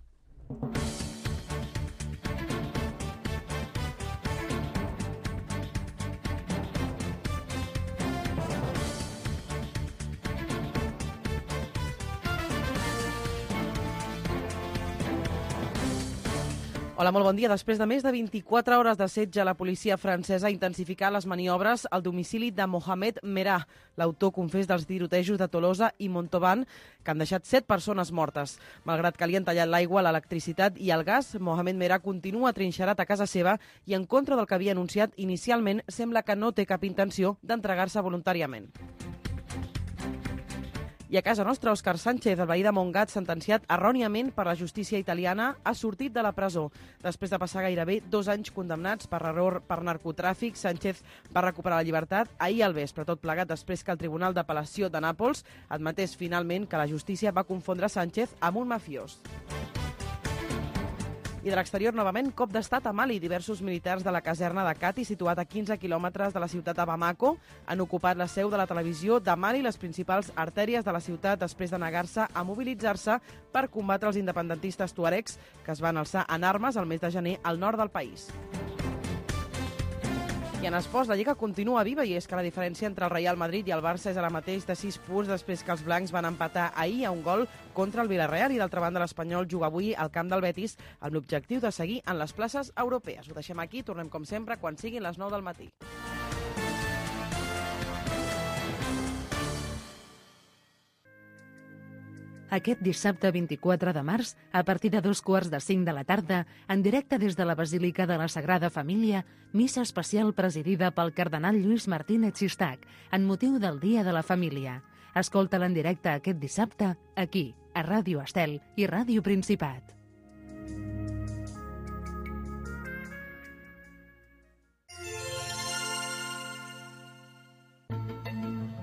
Speaker 3: Hola, molt bon dia. Després de més de vint-i-quatre hores de setge, la policia francesa ha intensificat les maniobres al domicili de Mohamed Merah, l'autor confés dels tirotejos de Tolosa i Montauban, que han deixat set persones mortes. Malgrat que li han tallat l'aigua, l'electricitat i el gas, Mohamed Merah continua trinxerat a casa seva i, en contra del que havia anunciat inicialment, sembla que no té cap intenció d'entregar-se voluntàriament. I a casa nostra, Òscar Sánchez, el veí de Montgat, sentenciat erròniament per la justícia italiana, ha sortit de la presó. Després de passar gairebé dos anys condemnats per error per narcotràfic, Sánchez va recuperar la llibertat ahir al vespre, tot plegat després que el Tribunal d'Apel·lació de Nàpols admetés finalment que la justícia va confondre Sánchez amb un mafiós. I de l'exterior, novament, cop d'estat a Mali. Diversos militars de la caserna de Kati, situat a quinze quilòmetres de la ciutat de Bamako, han ocupat la seu de la televisió de Mali i les principals artèries de la ciutat després de negar-se a mobilitzar-se per combatre els independentistes tuaregs que es van alçar en armes el mes de gener al nord del país. I en esports, la Lliga continua viva i és que la diferència entre el Real Madrid i el Barça és ara mateix de sis punts després que els blancs van empatar ahir a un gol contra el Villarreal i d'altra banda l'Espanyol juga avui al camp del Betis amb l'objectiu de seguir en les places europees. Ho deixem aquí, tornem com sempre quan siguin les nou del matí.
Speaker 1: Aquest dissabte vint-i-quatre de març, a partir de dos quarts de cinc de la tarda, en directe des de la Basílica de la Sagrada Família, missa especial presidida pel cardenal Lluís Martínez Sistac, en motiu del Dia de la Família. Escolta-la en directe aquest dissabte, aquí, a Ràdio Estel i Ràdio Principat.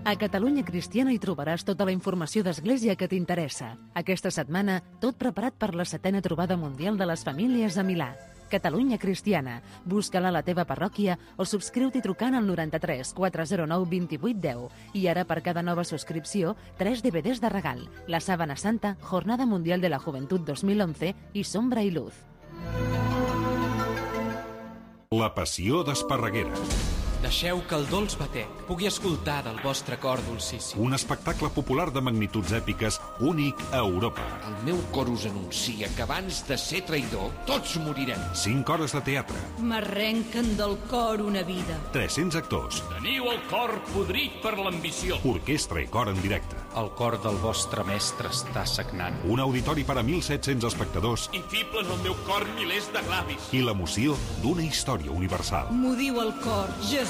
Speaker 1: A Catalunya Cristiana hi trobaràs tota la informació d'Església que t'interessa. Aquesta setmana, tot preparat per la setena trobada mundial de les famílies a Milà. Catalunya Cristiana. Busca-la a la teva parròquia o subscriu-t'hi trucant al noranta-tres quatre zero nou vint vuit deu. I ara, per cada nova subscripció, tres D V Ds de regal. La Sábana Santa, Jornada Mundial de la Juventud dos mil once i Sombra i Luz.
Speaker 7: La passió d'Esparreguera.
Speaker 12: Deixeu que el dolç batec pugui escoltar del vostre cor dolcíssim.
Speaker 7: Un espectacle popular de magnituds èpiques únic a Europa.
Speaker 13: El meu cor us anuncia que abans de ser traïdor, tots morirem.
Speaker 7: Cinc hores de teatre.
Speaker 14: M'arrenquen del cor una vida.
Speaker 7: tres-cents actors.
Speaker 5: Teniu el cor podrit per l'ambició.
Speaker 7: Orquestra i cor en directe.
Speaker 12: El cor del vostre mestre està sagnant.
Speaker 7: Un auditori per a mil set-cents espectadors.
Speaker 5: Infiblen el meu cor milers de glavis.
Speaker 7: I l'emoció d'una història universal.
Speaker 14: M'ho diu el cor, Jesús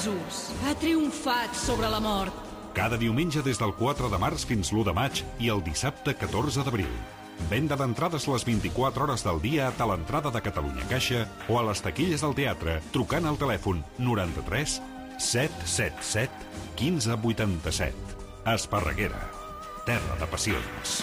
Speaker 14: ha triomfat sobre la mort.
Speaker 7: Cada diumenge des del quatre de març fins l'u de maig i el dissabte catorze d'abril. Venda d'entrades les vint-i-quatre hores del dia a Talentrada de Catalunya Caixa o a les taquilles del teatre trucant al telèfon noranta-tres set set set quinze vuitanta-set. Esparreguera, terra de passions.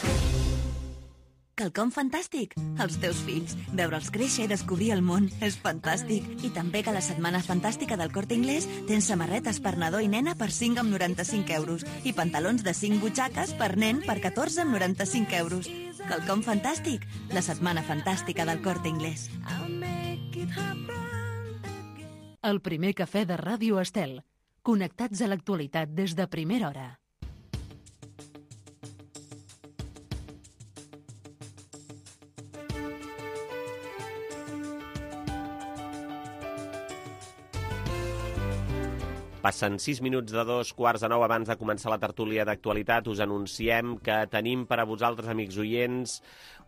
Speaker 15: Quelcom fantàstic. Els teus fills. Veure'ls créixer i descobrir el món és fantàstic. I també que a la Setmana Fantàstica del Corte Inglés tens samarretes per nadó i nena per cinc amb noranta-cinc euros i pantalons de cinc butxaques per nen per catorze amb noranta-cinc euros. Quelcom fantàstic. La Setmana Fantàstica del Corte Inglés.
Speaker 1: El primer cafè de Ràdio Estel. Connectats a l'actualitat des de primera hora.
Speaker 2: Passen sis minuts de dos quarts de nou abans de començar la tertúlia d'actualitat. Us anunciem que tenim per a vosaltres, amics oients,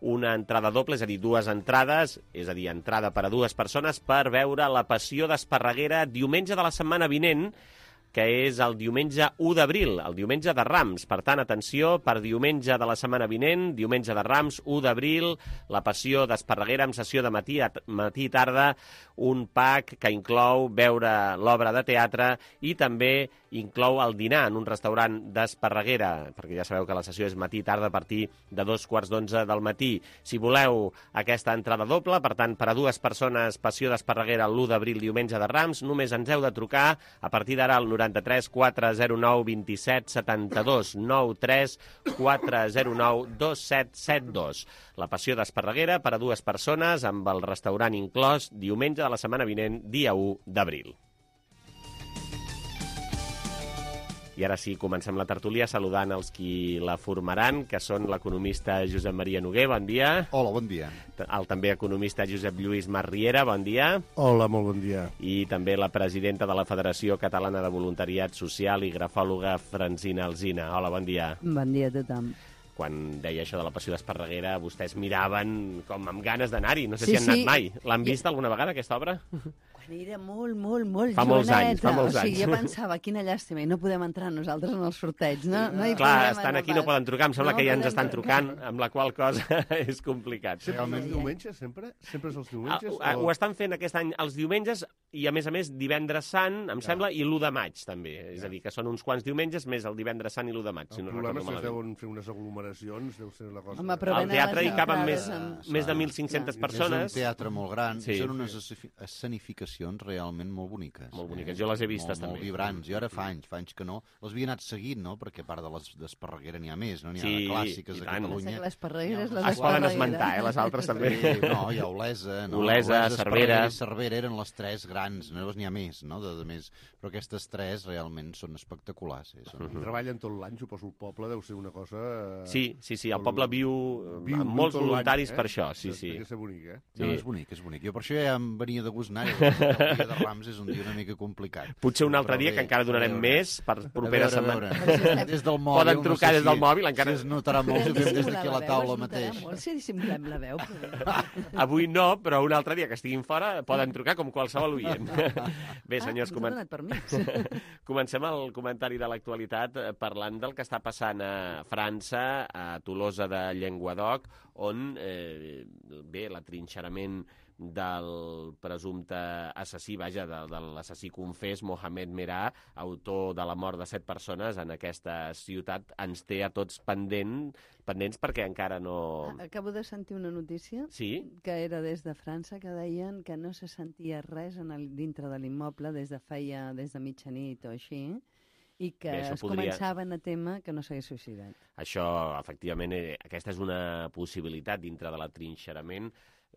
Speaker 2: una entrada doble, és a dir, dues entrades, és a dir, entrada per a dues persones per veure La Passió d'Esparreguera diumenge de la setmana vinent, que és el diumenge u d'abril, el diumenge de Rams. Per tant, atenció, per diumenge de la setmana vinent, diumenge de Rams, u d'abril, La Passió d'Esparreguera amb sessió de matí, matí i tarda, un pack que inclou veure l'obra de teatre i també inclou el dinar en un restaurant d'Esparreguera, perquè ja sabeu que la sessió és matí i tarda a partir de dos quarts d'onze del matí. Si voleu aquesta entrada doble, per tant, per a dues persones, Passió d'Esparreguera l'u d'abril, diumenge de Rams, només ens heu de trucar a partir d'ara al noranta-tres quatre zero nou vint set setanta-dos, noranta-tres quatre zero nou dos set set dos. La Passió d'Esparreguera per a dues persones amb el restaurant inclòs diumenge de la setmana vinent, dia u d'abril. I ara sí, comencem la tertúlia saludant els qui la formaran, que són l'economista Josep Maria Noguer, bon dia.
Speaker 16: Hola, bon dia.
Speaker 2: El també economista Josep Lluís Masriera, bon dia.
Speaker 17: Hola, molt bon dia.
Speaker 2: I també la presidenta de la Federació Catalana de Voluntariat Social i grafòloga Francina Alsina. Hola, bon dia.
Speaker 18: Bon dia a tothom.
Speaker 2: Quan deia això de La Passió d'Esparreguera, vostès miraven com amb ganes d'anar-hi. No sé
Speaker 18: sí,
Speaker 2: si han
Speaker 18: sí.
Speaker 2: anat mai. L'han vist alguna vegada, aquesta obra?
Speaker 18: Quan era molt, molt, molt
Speaker 2: fa molts
Speaker 18: joveneta.
Speaker 2: anys, fa molts
Speaker 18: o sigui,
Speaker 2: anys.
Speaker 18: jo pensava, quina llàstima, i no podem entrar nosaltres en el sorteig, no? no hi
Speaker 2: Clar, estan aquí, no poden trucar. Em sembla
Speaker 18: no
Speaker 2: que ja ens
Speaker 18: podem
Speaker 2: estan
Speaker 18: trucar.
Speaker 2: trucant, amb la qual cosa és complicat.
Speaker 17: Sempre els diumenges, sempre? Sempre és els diumenges?
Speaker 2: Ah, o... Ho estan fent aquest any els diumenges i, a més a més, divendres sant, em ja. sembla, i l'u de maig, també. Ja. És a dir, que són uns quants diumenges, més el divendres sant i l'u de maig,
Speaker 17: el
Speaker 2: si no
Speaker 17: problema
Speaker 2: recordo
Speaker 17: és que es
Speaker 2: malament.
Speaker 17: deuen fer unes aglomeracions, deu ser la cosa...
Speaker 18: Home,
Speaker 2: al teatre hi caben més, més de mil cinc-centes persones.
Speaker 16: És un teatre molt gran,
Speaker 2: sí.
Speaker 16: Són unes escenificacions realment molt boniques.
Speaker 2: Molt boniques, jo les he vistes
Speaker 16: molt,
Speaker 2: també.
Speaker 16: Molt vibrants, i ara fa anys, fa anys que no. Les havia anat seguint, no? Perquè a part de les d'Esparreguera n'hi ha més, no? N'hi ha
Speaker 2: sí,
Speaker 16: de clàssiques a Catalunya.
Speaker 18: Les Esparregueres, les
Speaker 2: es poden esmentar, eh? Les altres també.
Speaker 16: Sí, no, hi ha Olesa, no?
Speaker 2: Olesa, Cervera.
Speaker 16: I Cervera eren les tres grans, no n'hi ha més, no? De, de més. Però aquestes tres realment són espectaculars. Eh? Són...
Speaker 17: Uh-huh. Treballen tot l'any, suposo, el poble deu ser una cosa...
Speaker 2: Sí, sí, sí, el poble viu, viu amb molts voluntaris eh? per això, sí, sí.
Speaker 17: Deu ser bonic, eh?
Speaker 16: Sí. No, és bonic, és bonic. Jo per això ja em venia de gust anar-hi. El dia de Rams és un dia una mica complicat.
Speaker 2: Potser un altre dia, que encara donarem més, per propera setmana.
Speaker 16: Des del mòbil...
Speaker 2: Poden trucar des del mòbil, encara...
Speaker 16: Si es notarà molt si fem des d'aquí a la taula mateix.
Speaker 18: Molt si dissimulem la veu.
Speaker 2: Avui no, però un altre dia que estiguin fora poden trucar com qualsevol oient. Bé, senyors, comen... comencem el comentari de l'actualitat parlant del que està passant a França, a Tolosa de Llenguadoc, on, eh, bé, l'atrinxerament del presumpte assassí, vaja, de, de l'assassí confés, Mohamed Merah, autor de la mort de set persones en aquesta ciutat, ens té a tots pendent, pendents perquè encara no...
Speaker 18: Acabo de sentir una notícia
Speaker 2: sí?
Speaker 18: que era des de França, que deien que no se sentia res en el, dintre de l'immoble des de feia, des de mitjanit o així, i que Bé, es podria... començaven a témer que no s'hagués suïcidat.
Speaker 2: Això, efectivament, eh, aquesta és una possibilitat dintre de l'atrinxerament.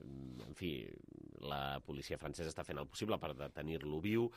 Speaker 2: En fi, la policia francesa està fent el possible per detenir-lo viu.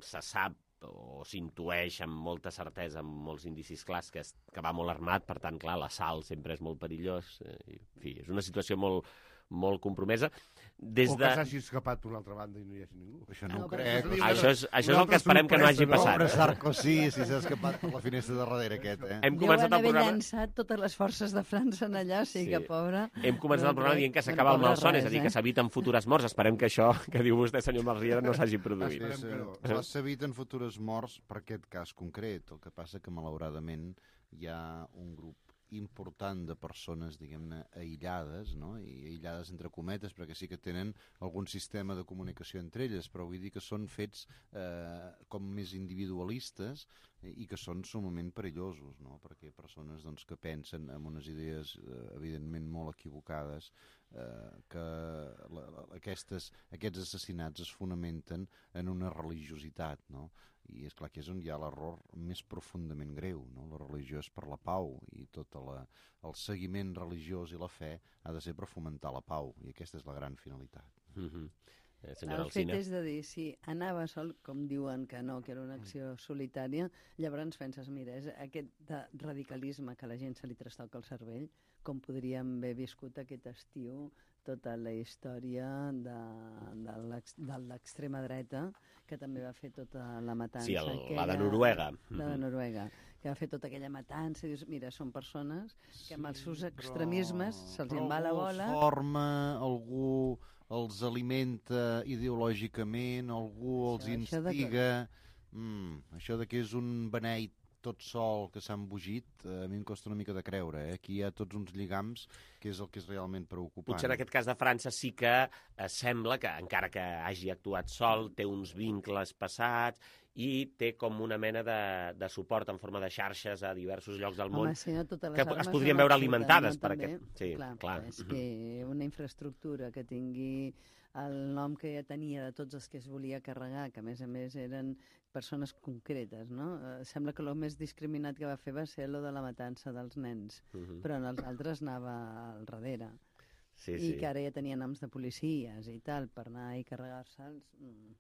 Speaker 2: Se sap o s'intueix amb molta certesa, amb molts indicis clars, que, es, que va molt armat, per tant, clar, l'assalt sempre és molt perillós. En fi, és una situació molt, molt compromesa. Des
Speaker 17: o que
Speaker 2: de...
Speaker 17: s'hagi escapat per una altra banda i no hi hagi ningú.
Speaker 16: Això no, no ho crec.
Speaker 2: Això és, això és el que esperem que no hagi passat.
Speaker 16: Pobre Sarkozy, si s'ha escapat per la finestra de darrere aquest, eh?
Speaker 2: Hem començat el programa...
Speaker 18: llançat totes les forces de França en allà, o sigui sí. que pobre...
Speaker 2: Hem començat el programa dient que s'acaba el malson, és a dir, que s'eviten futures morts. Esperem que això que diu vostè, senyor Masriera, no s'hagi produït.
Speaker 16: Eh, s'eviten futures morts per aquest cas concret. El que passa que, malauradament, hi ha un grup important de persones, diguem-ne, aïllades, no? I aïllades entre cometes, perquè sí que tenen algun sistema de comunicació entre elles, però vull dir que són fets eh, com més individualistes i que són sumament perillosos, no? Perquè persones doncs, que pensen en unes idees eh, evidentment molt equivocades, eh, que la, la, aquestes, aquests assassinats es fonamenten en una religiositat, no? I és clar que és on hi ha l'error més profundament greu, no? La religió és per la pau i tot la, el seguiment religiós i la fe ha de ser per fomentar la pau, i aquesta és la gran finalitat.
Speaker 2: Mm-hmm. eh,
Speaker 18: el Alcina. Fet és de dir, si anava sol, com diuen que no, que era una acció solitària, llavors penses, mira, és aquest de radicalisme que a la gent se li trastoca el cervell, com podríem haver viscut aquest estiu tota la història de, de l'extrema dreta, que també va fer tota la matança.
Speaker 2: Sí, el,
Speaker 18: aquella,
Speaker 2: la de Noruega.
Speaker 18: La de Noruega, que va fer tota aquella matança. I dius, mira, són persones que amb els seus extremismes
Speaker 16: però,
Speaker 18: se'ls en va la bola.
Speaker 16: Algú forma, algú els alimenta ideològicament, algú els això, instiga... Això de, que... mm, això de que és un beneit tot sol que s'ha embogit, a mi em costa una mica de creure. Eh? Aquí hi ha tots uns lligams que és el que és realment preocupant.
Speaker 2: Potser en aquest cas de França sí que eh, sembla que, encara que hagi actuat sol, té uns vincles passats i té com una mena de, de suport en forma de xarxes a diversos llocs del món.
Speaker 18: Home, sí, no, totes les
Speaker 2: que
Speaker 18: armes
Speaker 2: es podrien veure alimentades
Speaker 18: no,
Speaker 2: per
Speaker 18: també.
Speaker 2: aquest... Sí,
Speaker 18: clar,
Speaker 2: clar.
Speaker 18: És que una infraestructura que tingui el nom que ja tenia de tots els que es volia carregar, que a més a més eren persones concretes, no? Eh, sembla que el més discriminat que va fer va ser lo de la matança dels nens, uh-huh. però en els altres anava al darrere.
Speaker 2: Sí,
Speaker 18: I
Speaker 2: sí.
Speaker 18: que ara ja tenia noms de policies i tal, per anar i carregar-se'ls... Mm.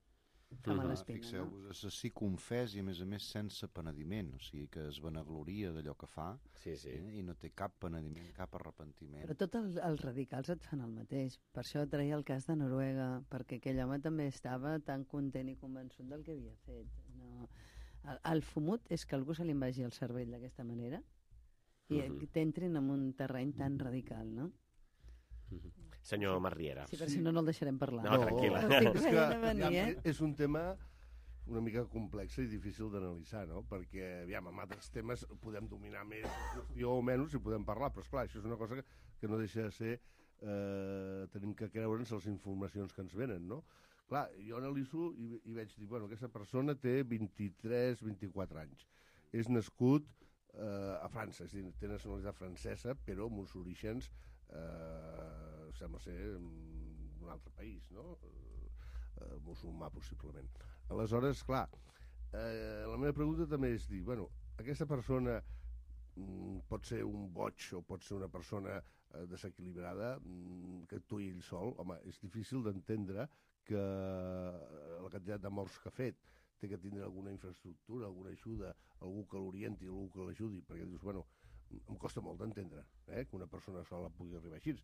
Speaker 18: Fa mala espina,
Speaker 16: Fixeu-vos, no? Assassí confés i a més a més sense penediment, o sigui que es vanagloria d'allò que fa
Speaker 2: sí, sí.
Speaker 16: Eh, i no té cap penediment, cap arrepentiment.
Speaker 18: Però tots el, els radicals et fan el mateix. Per això traia el cas de Noruega, perquè aquell home també estava tan content i convençut del que havia fet. No. El, el fumut és que algú se li vagi el cervell d'aquesta manera i uh-huh. t'entrin en un terreny tan radical, no?
Speaker 2: Uh-huh. Senyor Masriera.
Speaker 18: Sí, però si no, no el deixarem parlar.
Speaker 2: No, tranquil·la.
Speaker 17: No, és, que, venir, eh? és un tema una mica complex i difícil d'analitzar, no? Perquè, aviam, amb altres temes podem dominar més jo o menys i podem parlar, però esclar, això és una cosa que, que no deixa de ser eh, tenim que creure'ns les informacions que ens venen, no? Clar, jo analitzo i, i veig dir, bueno, aquesta persona té vint-i-tres vint-i-quatre anys. És nascut eh, a França, és a dir, té nacionalitat francesa, però amb uns orígens eh, sembla ser d'un altre país, no? Eh, musulmà, possiblement. Aleshores, clar, eh, la meva pregunta també és dir, bueno, aquesta persona mm, pot ser un boig o pot ser una persona eh, desequilibrada mm, que actuï ell sol. Home, és difícil d'entendre que la quantitat de morts que ha fet té que tindre alguna infraestructura, alguna ajuda, algú que l'orienti, algú que l'ajudi, perquè dius, bueno, em costa molt d'entendre eh, que una persona sola pugui arribar així.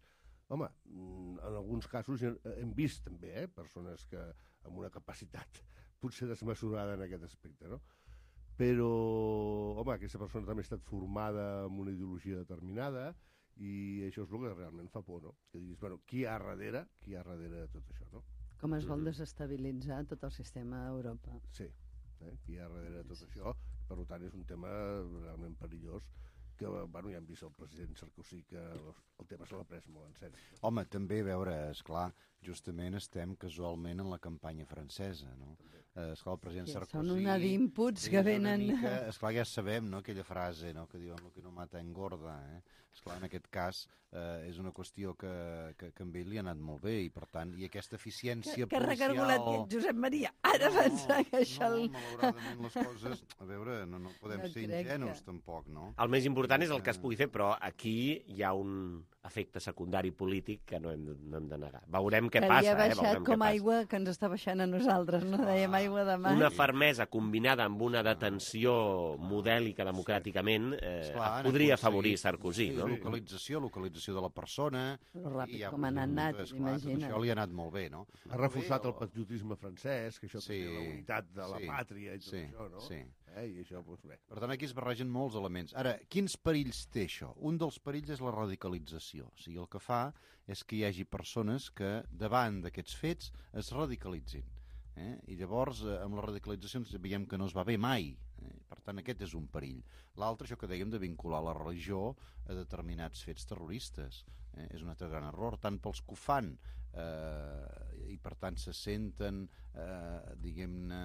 Speaker 17: Home, en alguns casos hem vist també eh, persones que amb una capacitat potser desmesurada en aquest aspecte, no? Però, home, aquesta persona també ha estat formada amb una ideologia determinada i això és el que realment fa por, no? Que diguis, bueno, qui hi ha darrere, qui hi ha darrere de tot això, no?
Speaker 18: Com es vol desestabilitzar tot el sistema a Europa.
Speaker 17: Sí, eh? Qui hi ha darrere de tot això, per tant és un tema realment perillós que, bueno, ja hem vist el president Sarkozy que el tema se l'ha pres molt en sèrio.
Speaker 16: Home, també, a veure, esclar, justament estem casualment en la campanya francesa, no? Eh, esclar, el president
Speaker 18: Sí,
Speaker 16: Sarkozy...
Speaker 18: són una d'inputs que
Speaker 16: és una
Speaker 18: venen-
Speaker 16: Mica, esclar, ja sabem, no?, aquella frase, no?, que diuen lo que no mata engorda, eh? Esclar, en aquest cas eh, és una qüestió que, que, que amb ell li ha anat molt bé i, per tant, i aquesta eficiència
Speaker 18: Que, que
Speaker 16: policial...
Speaker 18: recargolat que ets, Josep Maria. Ara no, pensar que això...
Speaker 16: No, malauradament les coses... A veure, no, no podem
Speaker 18: No
Speaker 16: ser
Speaker 18: crec
Speaker 16: ingenus,
Speaker 18: que-
Speaker 16: tampoc, no?
Speaker 2: El més important és el que es pugui fer, però aquí hi ha un efecte secundari polític que no hem, de- no hem de negar. Veurem què
Speaker 18: que
Speaker 2: passa,
Speaker 18: li ha
Speaker 2: eh?
Speaker 18: baixat
Speaker 2: Veurem què
Speaker 18: com
Speaker 2: passa.
Speaker 18: aigua que ens està baixant a nosaltres, no? Dèiem aigua de mar.
Speaker 2: Una fermesa combinada amb una detenció modèlica democràticament eh,
Speaker 16: Esclar, han
Speaker 2: podria
Speaker 16: aconseguit-
Speaker 2: afavorir Sarkozy,
Speaker 16: sí,
Speaker 2: no?
Speaker 16: localització, localització de la persona...
Speaker 18: Però ràpid
Speaker 16: i ja,
Speaker 18: com han anat,
Speaker 16: esclar, tot
Speaker 18: imagina't.
Speaker 16: això li ha anat molt bé, no?
Speaker 17: Ha reforçat el patriotisme francès, que això
Speaker 16: Sí,
Speaker 17: té la unitat de la
Speaker 16: sí,
Speaker 17: pàtria i tot
Speaker 16: sí,
Speaker 17: això, no?
Speaker 16: sí.
Speaker 17: Eh? I això, doncs bé.
Speaker 16: Per tant, aquí es barregen molts elements. Ara, quins perills té això? Un dels perills és la radicalització. O sigui, el que fa és que hi hagi persones que, davant d'aquests fets, es radicalitzin. Eh? I llavors, eh, amb les radicalitzacions veiem que no es va bé mai. Eh? Per tant, aquest és un perill. L'altre, això que dèiem de vincular la religió a determinats fets terroristes. Eh? És un altre gran error, tant pels que ho fan eh, i per tant se senten, eh, diguem-ne,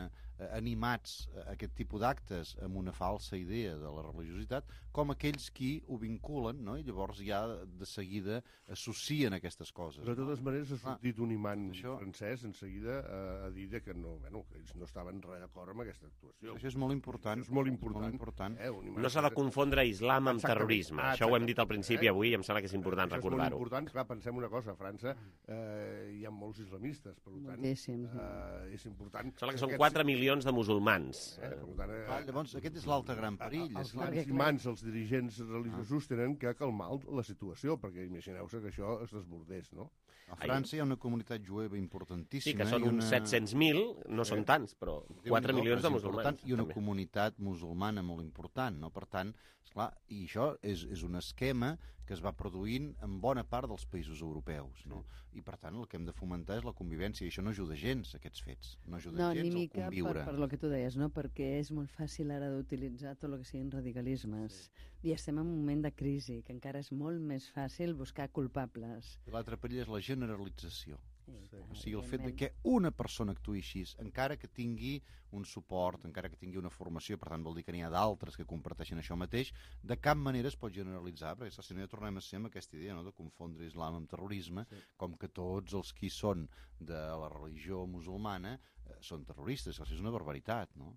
Speaker 16: animats a aquest tipus d'actes amb una falsa idea de la religiositat, com aquells qui ho vinculen, no? I llavors ja de seguida associen aquestes coses.
Speaker 17: Però de totes maneres ha
Speaker 16: Ah,
Speaker 17: sortit un imant
Speaker 16: això-
Speaker 17: francès en seguida a, a dir que, no, bueno, que ells no estaven res d'acord amb aquesta actuació.
Speaker 16: Això és molt important.
Speaker 17: Això és molt important.
Speaker 16: Molt important.
Speaker 17: Eh? Un imant
Speaker 2: No s'ha de confondre islam amb
Speaker 17: Exactament.
Speaker 2: terrorisme.
Speaker 17: Ah,
Speaker 2: Això ho hem dit al
Speaker 17: exactament.
Speaker 2: principi
Speaker 17: Eh?
Speaker 2: avui i em sembla que és important
Speaker 17: Això és molt
Speaker 2: recordar-ho.
Speaker 17: important. Clar, pensem una cosa, a França eh, hi ha molts islamistes, per tant,
Speaker 18: Moltíssims,
Speaker 17: eh, és important...
Speaker 2: Sembla que són
Speaker 17: aquests-
Speaker 2: quatre milions de musulmans.
Speaker 17: Eh, per tant, eh,
Speaker 16: Ah, llavors, aquest és l'altre gran perill.
Speaker 17: Els
Speaker 16: és la-
Speaker 17: grans imants, els dirigents religiosos, tenen que calmar la situació, perquè imagineu-se que això es desbordés, no?
Speaker 16: A França hi ha una comunitat jueva importantíssima.
Speaker 2: Sí, que són
Speaker 16: i
Speaker 2: uns set-cents mil, no són tants, però quatre
Speaker 16: Déu-n'hi-do,
Speaker 2: milions de
Speaker 16: és
Speaker 2: musulmans.
Speaker 16: important, I una
Speaker 2: també.
Speaker 16: comunitat musulmana molt important, no? Per tant, esclar, i això és, és un esquema que es va produint en bona part dels països europeus, no? I per tant el que hem de fomentar és la convivència, i això no ajuda gens, aquests fets. No ajuda
Speaker 18: No, ni
Speaker 16: gens
Speaker 18: mica
Speaker 16: al
Speaker 18: per,
Speaker 16: conviure.
Speaker 18: per lo que tu deies, no? Perquè és molt fàcil ara d'utilitzar tot el que siguin radicalismes. Sí. I estem en un moment de crisi, que encara és molt més fàcil buscar culpables.
Speaker 16: I l'altre perill és la generalització.
Speaker 18: Sí,
Speaker 16: O sigui, el fet de que una persona actuï així, encara que tingui un suport, encara que tingui una formació, per tant vol dir que n'hi ha d'altres que comparteixen això mateix, de cap manera es pot generalitzar, perquè si no ja tornem a ser amb aquesta idea, no?, de confondre islam amb terrorisme, sí. Com que tots els qui són de la religió musulmana eh, són terroristes. Això és una barbaritat, no?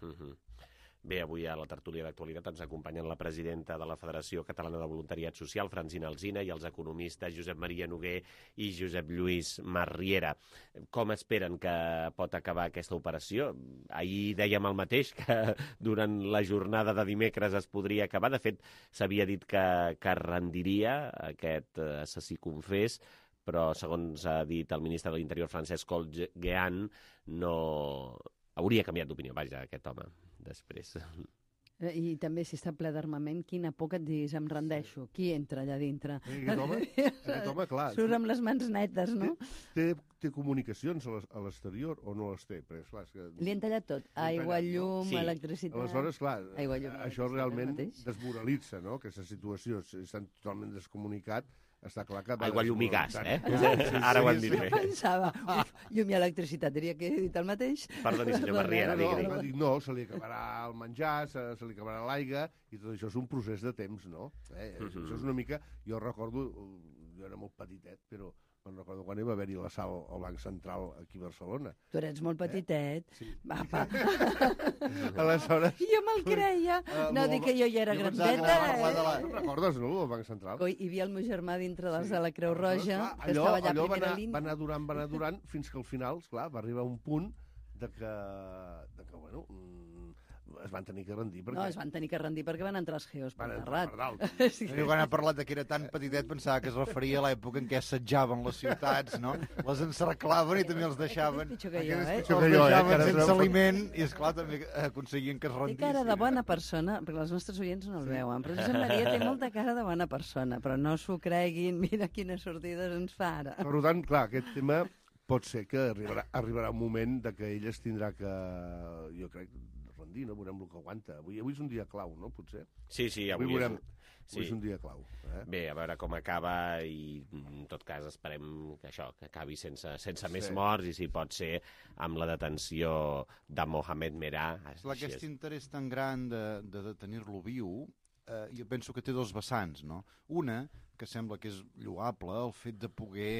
Speaker 2: Uh-huh. Bé, avui a la tertúlia d'actualitat ens acompanyen la presidenta de la Federació Catalana de Voluntariat Social, Francina Alsina, i els economistes Josep Maria Noguer i Josep Lluís Marriera. Com esperen que pot acabar aquesta operació? Ahir dèiem el mateix, que durant la jornada de dimecres es podria acabar. De fet, s'havia dit que, que rendiria aquest assassí confés, però, segons ha dit el ministre de l'Interior, Francesc Olguean, no... hauria canviat d'opinió, vaja, aquest home, després.
Speaker 18: Eh, I també, si està ple d'armament, quina por que et diguis, em rendeixo. Qui entra allà dintre?
Speaker 17: I aquest home, aquest home, clar...
Speaker 18: Surt amb les mans netes, no?
Speaker 17: Té, té comunicacions a l'es- a l'exterior o no les té? Perquè, esclar, és que...
Speaker 18: Li han tallat tot. Aigua, llum,
Speaker 17: Sí.
Speaker 18: electricitat...
Speaker 17: Aleshores, clar,
Speaker 18: Aigua, llum,
Speaker 17: això
Speaker 18: electricitat,
Speaker 17: realment
Speaker 18: el mateix.
Speaker 17: desmoralitza, no?, aquesta situació. Si estan totalment descomunicat, està clar que... va
Speaker 2: Aigua, llum i gas,
Speaker 17: desmoralitzant.
Speaker 2: eh? Ara ho hem dit bé.
Speaker 18: Jo pensava, uf, llum i electricitat, diria que he dit el mateix.
Speaker 2: Perdoni, senyor Marriera,
Speaker 17: No,
Speaker 2: digui.
Speaker 17: va dir, no, se li acabarà el menjar, se, se li acabarà l'aigua, i tot això és un procés de temps, no? Eh?
Speaker 2: Mhm.
Speaker 17: Això és una mica... Jo recordo, jo era molt petitet, però me'n recordo quan hi va haver-hi l'assalt al Banc Central aquí a Barcelona.
Speaker 18: Tu eres molt petitet.
Speaker 17: Sí.
Speaker 18: Apa.
Speaker 17: Aleshores...
Speaker 18: Jo me'l creia.
Speaker 17: Eh,
Speaker 18: No, dic que jo ja era
Speaker 17: jo pensava que
Speaker 18: grandeta.
Speaker 17: anava a parlar de
Speaker 18: eh?
Speaker 17: la... No recordes, no, el Banc Central?
Speaker 18: Coi, hi havia el meu germà dintre dels de la Creu Roja,
Speaker 17: Clar,
Speaker 18: que estava allà a
Speaker 17: allò va
Speaker 18: primera
Speaker 17: anar,
Speaker 18: línia.
Speaker 17: va anar durant, va anar durant, fins que al final, esclar, va arribar un punt de que, de que bueno, mm, es van tenir que rendir. Perquè...
Speaker 18: No, es van tenir que rendir perquè van entrar els geos per
Speaker 17: Van entrar
Speaker 18: terrat.
Speaker 17: per dalt.
Speaker 18: Sí.
Speaker 16: Jo quan ha parlat de que era tan petitet pensava que es referia a l'època en què assetjaven les ciutats, no? Les encerclaven i també els deixaven...
Speaker 18: Pitjor que jo,
Speaker 17: Aquest és
Speaker 18: eh?
Speaker 17: pitjor
Speaker 16: Els
Speaker 17: que jo, eh,
Speaker 16: deixaven
Speaker 17: que ara
Speaker 16: sense
Speaker 17: treu-
Speaker 16: aliment i, esclar, també aconseguien que es
Speaker 18: Té
Speaker 16: rendissin.
Speaker 18: cara de bona persona, perquè els nostres oients no el veuen, però Josep Maria té molta cara de bona persona, però no s'ho creguin, mira quines sortides ens fa ara.
Speaker 17: Per tant, clar, aquest tema pot ser que arribarà, arribarà un moment de que ell es tindrà que, jo crec, rendir dir, no? Veurem el que aguanta. Avui, avui és un dia clau, no? Potser.
Speaker 2: Sí, sí, avui,
Speaker 17: avui veurem...
Speaker 2: és...
Speaker 17: Sí. És un dia clau. Eh?
Speaker 2: Bé, a veure com acaba i, en tot cas, esperem que això, que acabi sense, sense
Speaker 16: sí.
Speaker 2: més morts i, si pot ser, amb la detenció de Mohamed Merah.
Speaker 16: Clar, aquest és... interès tan gran de, de detenir-lo viu, eh, jo penso que té dos vessants, no? Una, que sembla que és lloable, el fet de poder...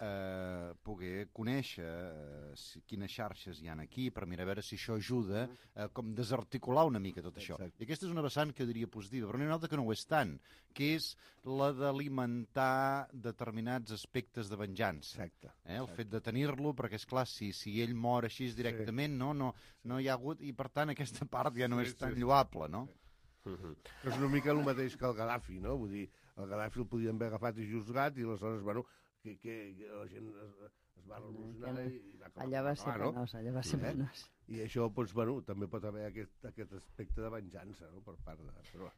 Speaker 16: Eh, poder conèixer eh, si, quines xarxes hi ha aquí per mirar a veure si això ajuda a eh, com desarticular una mica tot això. Exacte. I aquesta és una vessant que diria positiva, però n'hi ha una altra que no ho és tant, que és la d'alimentar determinats aspectes de venjança.
Speaker 17: Exacte.
Speaker 16: Eh, el
Speaker 17: Exacte.
Speaker 16: fet de tenir-lo, perquè és clar, si, si ell mor així directament, sí. no, no, no hi ha hagut, i per tant aquesta part ja no sí, és tan sí. lloable, no?
Speaker 17: Sí. Uh-huh. És una mica el mateix que el Gaddafi, no? Vull dir, el Gaddafi el podien haver agafat i juzgat i aleshores, bueno, que, que, que la gent es, es va revolucionar i, i va acabar.
Speaker 18: Allà va ser
Speaker 17: no?
Speaker 18: penós, allà va ser
Speaker 17: eh?
Speaker 18: penós.
Speaker 17: I això, doncs, bueno, també pot haver aquest, aquest aspecte de venjança, no?, per part de... Però...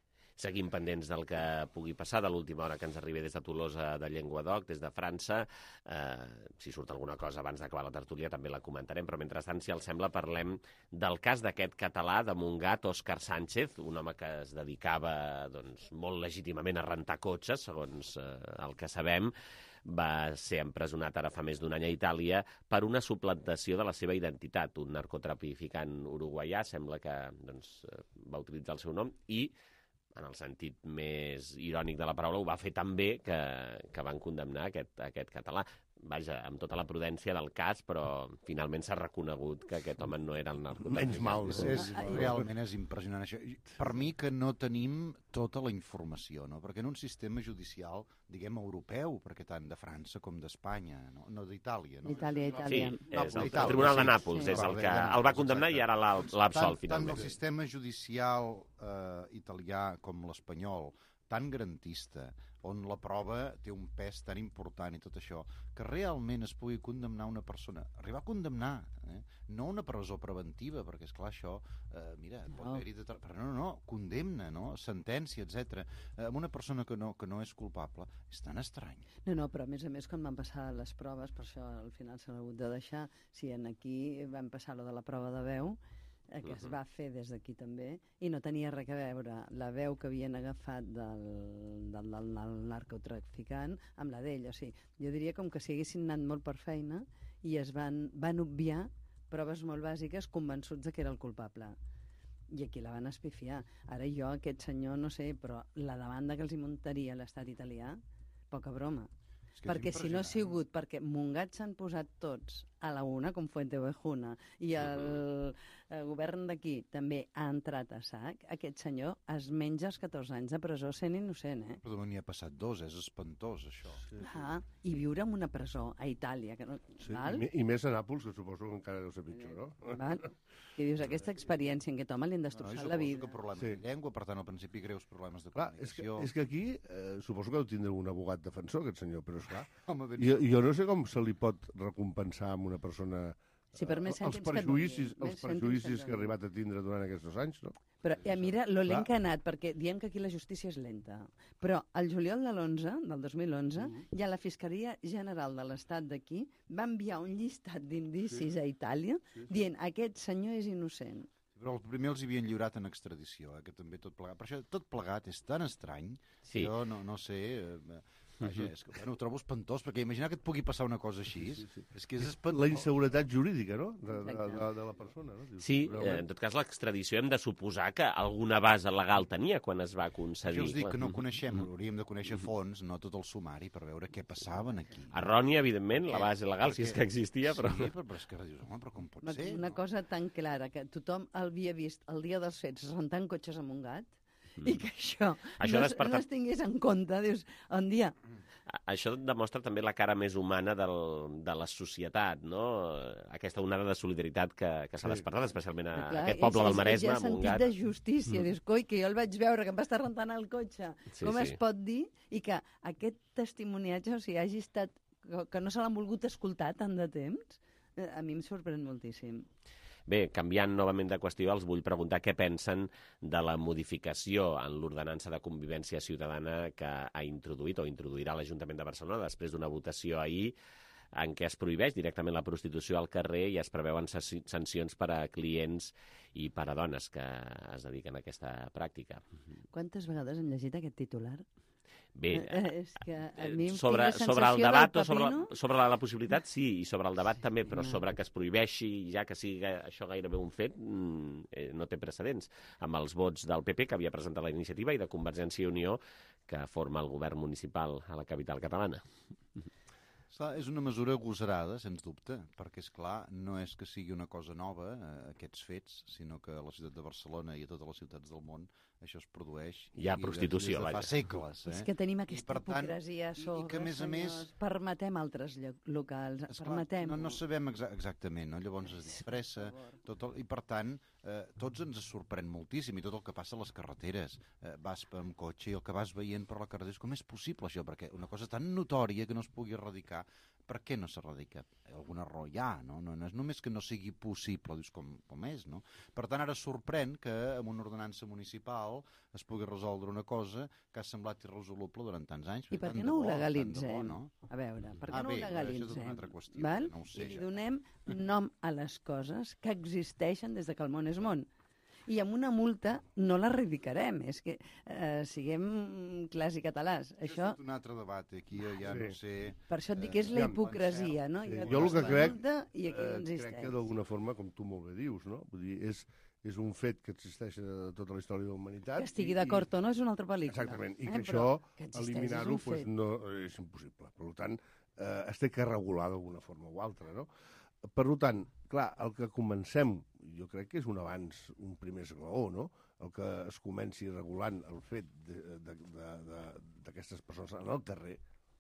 Speaker 2: Seguim pendents del que pugui passar, de l'última hora que ens arribi des de Tolosa de Llenguadoc, des de França. Eh, si surt alguna cosa abans d'acabar la tertúlia també la comentarem, però mentrestant, si els sembla, parlem del cas d'aquest català de Montgat, Òscar Sánchez, un home que es dedicava doncs, molt legítimament a rentar cotxes, segons eh, el que sabem. Va ser empresonat ara fa més d'un any a Itàlia per una suplantació de la seva identitat. Un narcotraficant uruguaià sembla que doncs, va utilitzar el seu nom i, en el sentit més irònic de la paraula, ho va fer tan bé que, que van condemnar aquest, aquest català. Vaja, amb tota la prudència del cas, però finalment s'ha reconegut que aquest home no era el narcotraficant.
Speaker 17: Menys mal.
Speaker 16: És, és, realment és impressionant això. Per mi que no tenim tota la informació, no? Perquè en un sistema judicial, diguem, europeu, perquè tant de França com d'Espanya, no, no d'Itàlia. No?
Speaker 18: Itàlia, Itàlia.
Speaker 2: Sí, és el Tribunal de Nàpols, sí. és el que el va condemnar i ara l'ha absolt finalment.
Speaker 16: Tant el sistema judicial eh, italià com l'espanyol, tan garantista, on la prova té un pes tan important i tot això, que realment es pugui condemnar una persona, arribar a condemnar, eh? no una presó preventiva, perquè, esclar, això, eh, mira, no. pot haver-hi... De... Però no, no, no, condemna, no? Sentència, etcètera. Eh, amb una persona que no, que no és culpable, és tan estrany.
Speaker 18: No, no, però a més a més, quan van passar les proves, per això al final s'han hagut de deixar, si en aquí van passar lo de la prova de veu, que uh-huh. es va fer des d'aquí també, i no tenia res a veure la veu que havien agafat del, del, del, del narcotraficant amb la d'ell. O sigui, jo diria com que si haguessin anat molt per feina i es van, van obviar proves molt bàsiques convençuts de que era el culpable. I aquí la van espifiar. Ara jo, aquest senyor, no sé, però la demanda que els hi muntaria l'estat italià, poca broma. Perquè si no ha sigut perquè Montgat s'han posat tots a la una, com Fuenteovejuna, i el, el govern d'aquí també ha entrat a sac, aquest senyor es menja els catorze anys de presó sent innocent, eh?
Speaker 16: Però n'hi ha passat dos, és espantós, això.
Speaker 18: Sí, sí. Ah, i viure en una presó a Itàlia, que no...
Speaker 17: Sí,
Speaker 18: val?
Speaker 17: I, I més a Nàpols, que suposo que encara deu ser pitjor, no?
Speaker 18: Val? I dius, aquesta experiència en què home li han destrossat
Speaker 16: no,
Speaker 18: la vida.
Speaker 16: Que problemes sí. de llengua, per tant, al principi greus problemes de comunicació.
Speaker 17: Clar, és, que, és que aquí eh, suposo que deu tindre un abogat defensor, aquest senyor, però esclar, Home, jo, jo no sé com se li pot recompensar amb una persona
Speaker 18: sí, per més
Speaker 17: els perjuïcis, que els perjuïcis que ha arribat a tindre durant aquests dos anys, no?
Speaker 18: Però ja, mira, lo lent que ha anat, perquè diem que aquí la justícia és lenta. Però el juliol de l'onze, del dos mil onze, mm-hmm. ja la Fiscalia General de l'Estat d'aquí va enviar un llistat d'indicis sí. a Itàlia sí, sí. dient aquest senyor és innocent.
Speaker 16: Però el primer els havien lliurat en extradició, eh, que també tot plegat. Per això tot plegat és tan estrany, sí. jo no, no sé... Eh, Vaja, és que, bueno, ho trobo espantós, perquè imaginar que et pugui passar una cosa així, sí, sí, sí. és que és espantós.
Speaker 17: La inseguretat jurídica, no?, de, de, de, de la persona. No?
Speaker 2: Sí, eh, en tot cas l'extradició hem de suposar que alguna base legal tenia quan es va concedir.
Speaker 16: Jo us dic que no coneixem, hauríem de conèixer fons, no tot el sumari, per veure què passava aquí.
Speaker 2: Errònia, evidentment, la base legal, perquè, si és que existia, però...
Speaker 16: Sí, però, però és que dius, home, però com pot
Speaker 18: una,
Speaker 16: ser?
Speaker 18: Una no? cosa tan clara, que tothom havia vist el dia dels fets rentant cotxes a Montgat, mm. i que això, això no, desperta... no es tingués en compte, dius, un dia...
Speaker 2: Això demostra també la cara més humana del, de la societat, no? Aquesta onada de solidaritat que, que s'ha sí. despertat, especialment a clar, aquest poble és, del Maresme,
Speaker 18: a Montgat. Sentit de justícia, mm. dius, coi, que jo el vaig veure, que em va estar rentant el cotxe. Sí, Com sí. es pot dir? I que aquest testimoniatge, o sigui, hagi estat, que no se l'han volgut escoltar tant de temps, a mi em sorprèn moltíssim.
Speaker 2: Bé, canviant novament de qüestió, els vull preguntar què pensen de la modificació en l'ordenança de convivència ciutadana que ha introduït o introduirà l'Ajuntament de Barcelona després d'una votació ahir en què es prohibeix directament la prostitució al carrer i es preveuen sancions per a clients i per a dones que es dediquen a aquesta pràctica.
Speaker 18: Quantes vegades hem llegit aquest titular?
Speaker 2: Bé,
Speaker 18: és que a mi em
Speaker 2: sobre,
Speaker 18: tinc la
Speaker 2: sobre el
Speaker 18: sensació
Speaker 2: debat
Speaker 18: del
Speaker 2: o sobre,
Speaker 18: pepino...
Speaker 2: la, sobre la, la possibilitat sí, i sobre el debat també, però sobre que es prohibeixi ja que sigui això gairebé un fet eh, no té precedents, amb els vots del P P que havia presentat la iniciativa i de Convergència i Unió que forma el govern municipal a la capital catalana.
Speaker 16: És una mesura agosarada, sens dubte, perquè, és clar, no és que sigui una cosa nova, eh, aquests fets, sinó que a la ciutat de Barcelona i a totes les ciutats del món això es produeix.
Speaker 2: Hi ha prostitució,
Speaker 16: des de fa segles. Eh?
Speaker 18: És que tenim aquesta
Speaker 16: tant,
Speaker 18: hipocresia sobre,
Speaker 16: i que, a més a més,
Speaker 18: permetem altres locals, permetem...
Speaker 16: No, no sabem exa exactament, no? Llavors es disfressa, tot el, i per tant, eh, tots ens sorprèn moltíssim, i tot el que passa a les carreteres. Eh, vas amb cotxe i el que vas veient per la carretera és com és possible això, perquè una cosa tan notòria que no es pugui erradicar, per què no s'erradica? Alguna raó hi ha, no? No, no és només que no sigui possible, dius com, com és, no? Per tant, ara sorprèn que amb una ordenança municipal es pugui resoldre una cosa que ha semblat irresoluble durant tants anys.
Speaker 18: I per què no ho legalitzem? A veure, per què no ho legalitzem? Val? I li donem nom a les coses que existeixen des que el món és món. I amb una multa no l'erradicarem. És que eh, siguem clars i catalans. Això
Speaker 16: és un altre debat, aquí ja no sé...
Speaker 18: Per això et dic que és la hipocresia, no?
Speaker 17: Jo el que crec,
Speaker 18: i aquí no existeix.
Speaker 17: crec que d'alguna forma, com tu molt bé dius, no? Vull dir, és, és un fet que existeix a tota la història de la humanitat.
Speaker 18: Que estigui d'acord o no és una altra pel·lícula.
Speaker 17: Exactament, i que això, eliminar-ho, no és impossible. Per tant, es té que regular d'alguna forma o altra, no? Per tant, clar, el que comencem, jo crec que és un avanç, un primer esglaó, no? El que es comenci regulant el fet d'aquestes persones en el carrer,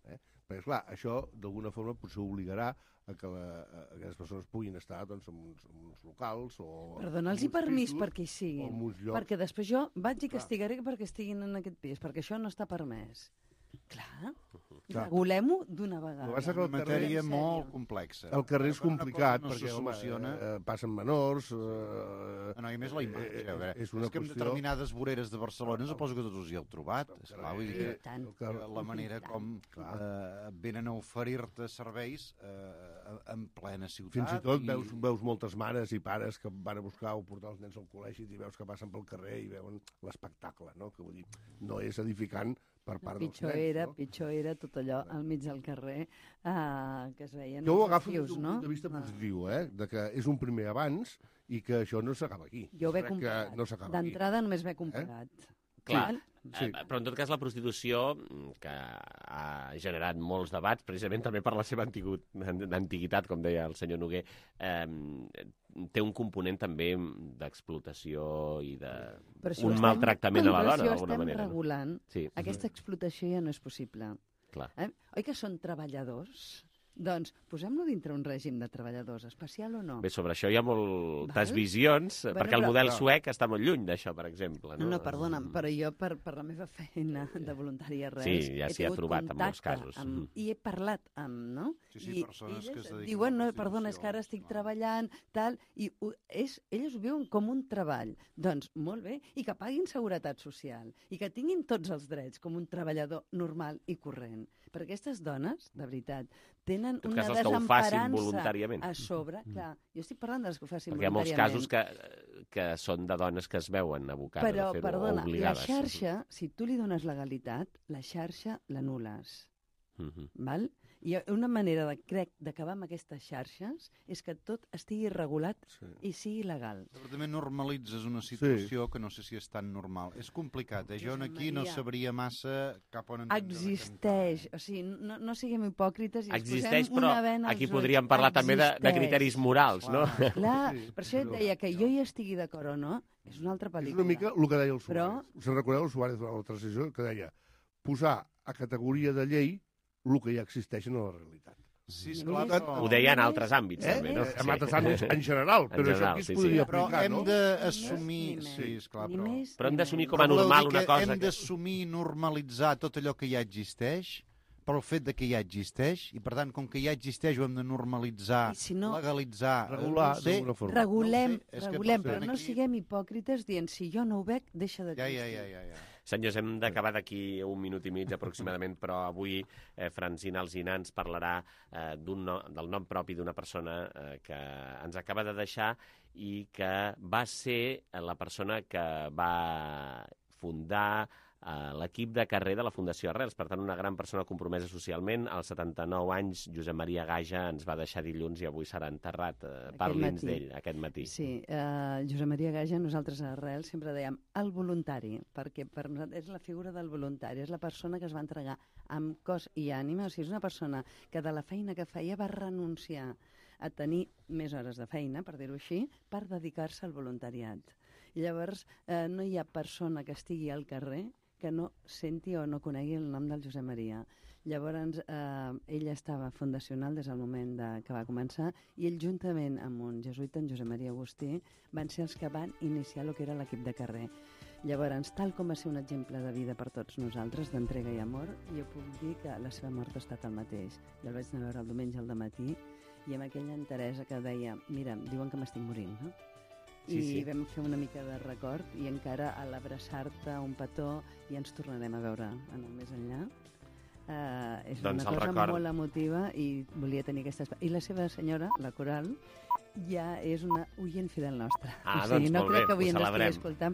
Speaker 17: eh? Perquè, clar, això d'alguna forma potser obligarà a que la, a aquestes persones puguin estar doncs, en, uns, en uns locals o...
Speaker 18: Per donar-los permís perquè hi siguin, perquè després jo vaig i castigaré perquè estiguin en aquest pis, perquè això no està permès. Clar, regulem-ho d'una vegada.
Speaker 16: És una matèria molt complexa.
Speaker 17: El carrer és complicat
Speaker 16: no
Speaker 17: perquè home,
Speaker 16: eh,
Speaker 17: passen menors... Eh,
Speaker 16: no, i més la imatge. Eh, eh, és,
Speaker 17: una
Speaker 16: és que en
Speaker 17: qüestió...
Speaker 16: determinades voreres de Barcelona suposo que tots us hi heu trobat. Esclar, vull dir que, que la manera com eh, venen a oferir-te serveis eh, en plena ciutat.
Speaker 17: Fins i tot
Speaker 16: i...
Speaker 17: veus, veus moltes mares i pares que van a buscar o portar els nens al col·legi i veus que passen pel carrer i veuen l'espectacle, no? Que vull dir, no és edificant per part dels
Speaker 18: pitjor
Speaker 17: nens,
Speaker 18: era,
Speaker 17: no?
Speaker 18: Pitjor era tot allò al mig del carrer uh, que es veien
Speaker 17: jo ho
Speaker 18: els
Speaker 17: agafo
Speaker 18: fius,
Speaker 17: des d'un
Speaker 18: no?
Speaker 17: punt de vista positiu, eh? De que és un primer avanç i que això no s'acaba aquí.
Speaker 18: Jo ho he
Speaker 17: Crec
Speaker 18: comparat.
Speaker 17: No
Speaker 18: d'entrada només m'he comparat.
Speaker 2: Eh? Clar,
Speaker 17: sí.
Speaker 2: eh, però en tot cas la prostitució, que ha generat molts debats, precisament també per la seva antiguitat, com deia el senyor Noguer, eh, té un component també d'explotació i de un maltractament a la dona, d'alguna manera.
Speaker 18: Però estem regulant,
Speaker 2: no? Sí.
Speaker 18: Aquesta explotació ja no és possible.
Speaker 2: Clar.
Speaker 18: Eh? Oi que són treballadors? Doncs posem-lo dintre un règim de treballadors, especial o no?
Speaker 2: Bé, sobre això hi ha moltes
Speaker 18: Val?
Speaker 2: visions,
Speaker 18: Bueno,
Speaker 2: perquè el
Speaker 18: però-
Speaker 2: model
Speaker 18: però-
Speaker 2: suec està molt lluny d'això, per exemple.
Speaker 18: No, no, perdona'm, però jo per, per la meva feina de voluntària res,
Speaker 2: Sí, ja
Speaker 18: he
Speaker 2: s'hi ha
Speaker 18: tingut
Speaker 2: trobat en molts
Speaker 18: contacte
Speaker 2: casos.
Speaker 18: Amb,
Speaker 2: Mhm.
Speaker 18: I he parlat amb, no?
Speaker 16: Sí, sí,
Speaker 18: I
Speaker 16: persones que
Speaker 18: elles
Speaker 16: es dediquen
Speaker 18: diuen,
Speaker 16: a
Speaker 18: no,
Speaker 16: la
Speaker 18: perdona, és que ara estic treballant, tal, i ho, és, elles ho viuen com un treball. Doncs molt bé, i que paguin seguretat social, i que tinguin tots els drets com un treballador normal i corrent. Perquè aquestes dones, de veritat, tenen
Speaker 2: tot
Speaker 18: una
Speaker 2: cas, els que ho facin
Speaker 18: desemparança
Speaker 2: voluntàriament.
Speaker 18: a sobre. Clar, jo estic parlant de les que ho facin
Speaker 2: Perquè hi ha molts
Speaker 18: voluntàriament.
Speaker 2: casos que, que són de dones que es veuen abocades
Speaker 18: Però,
Speaker 2: a fer-ho,
Speaker 18: perdona,
Speaker 2: o obligades.
Speaker 18: la xarxa, si tu li dones legalitat, la xarxa l'anules.
Speaker 2: Mhm.
Speaker 18: Val? I una manera, de, crec, d'acabar amb aquestes xarxes és que tot estigui regulat sí. i sigui legal.
Speaker 16: Però també normalitzes una situació sí. que no sé si és tan normal. És complicat, eh? Jo aquí no sabria massa cap on...
Speaker 18: Existeix, o sigui, no, no siguem hipòcrites i ens
Speaker 2: Existeix,
Speaker 18: posem
Speaker 2: però
Speaker 18: una vena
Speaker 2: aquí
Speaker 18: als ulls.
Speaker 2: podríem parlar també de, de
Speaker 18: Existeix.
Speaker 2: criteris morals, no?
Speaker 18: Clar, per això et deia que jo hi estigui d'acord o no, és una altra
Speaker 17: És
Speaker 18: pel·lícula.
Speaker 17: una mica el que deia el Suárez.
Speaker 18: Però...
Speaker 17: Se'n recordeu el Suárez de la transició que deia posar a categoria de llei el que ja existeix en la realitat.
Speaker 16: Sí, esclar, però...
Speaker 2: Ho deia en altres àmbits,
Speaker 17: eh?
Speaker 2: també, no?
Speaker 17: Eh? En altres àmbits, en general, però
Speaker 2: en general,
Speaker 17: això aquí es
Speaker 2: sí,
Speaker 17: podria
Speaker 2: sí.
Speaker 16: Però
Speaker 17: aplicar,
Speaker 16: hem
Speaker 17: no?
Speaker 16: d'assumir... Sí, esclar, però...
Speaker 2: Però hem d'assumir com a
Speaker 16: Però voleu
Speaker 2: normal
Speaker 16: dir
Speaker 2: una
Speaker 16: que
Speaker 2: cosa...
Speaker 16: Hem d'assumir i normalitzar tot allò que ja existeix pel fet de que ja existeix i, per tant, com que ja existeix ho hem de normalitzar,
Speaker 18: si no,
Speaker 16: legalitzar...
Speaker 17: Regular,
Speaker 16: no sé,
Speaker 17: d'alguna forma.
Speaker 18: Regulem,
Speaker 16: no sé, és que
Speaker 18: regulem,
Speaker 16: potser
Speaker 18: però no
Speaker 16: aquí-
Speaker 18: siguem hipòcrites dient si jo no ho veig, deixa
Speaker 16: Ja,
Speaker 18: d'existir.
Speaker 16: ja, ja, ja, ja.
Speaker 2: Senyors, hem d'acabar d'aquí un minut i mig aproximadament, però avui eh, Francina Alsina ens parlarà eh, no, del nom propi d'una persona eh, que ens acaba de deixar i que va ser la persona que va fundar eh, l'equip de carrer de la Fundació Arrels. Per tant, una gran persona compromesa socialment. Als setanta-nou anys, Josep Maria Gaja ens va deixar dilluns i avui serà enterrat. Eh, Parli'ns d'ell aquest matí.
Speaker 18: Sí, eh, Josep Maria Gaja, nosaltres a Arrels sempre dèiem el voluntari, perquè per nosaltres és la figura del voluntari, és la persona que es va entregar amb cos i ànima, o sigui, és una persona que de la feina que feia va renunciar a tenir més hores de feina, per dir-ho així, per dedicar-se al voluntariat. I llavors, eh, no hi ha persona que estigui al carrer que no senti o no conegui el nom del Josep Maria. Llavors, eh, ell estava fundacional des del moment de, que va començar i ell, juntament amb un jesuïta, en Josep Maria Agustí, van ser els que van iniciar el que era l'equip de carrer. Llavors, tal com va ser un exemple de vida per tots nosaltres, d'entrega i amor, jo puc dir que la seva mort ha estat el mateix. Jo el vaig anar a veure el diumenge al dematí i amb aquella enteresa que deia, mira, diuen que m'estic morint, no? Sí, I sí. Vam fer una mica de record i encara a l'abraçar-te un petó i ens tornarem a veure en el més enllà. Uh, és doncs una cosa record... molt emotiva i volia tenir aquesta... I la seva senyora, la Coral, ja és una oient fidel nostra.
Speaker 2: Ah,
Speaker 18: o sigui,
Speaker 2: doncs
Speaker 18: no
Speaker 2: molt
Speaker 18: crec
Speaker 2: bé,
Speaker 18: que avui
Speaker 2: ho
Speaker 18: ens
Speaker 2: celebrem.
Speaker 18: estigui escoltant,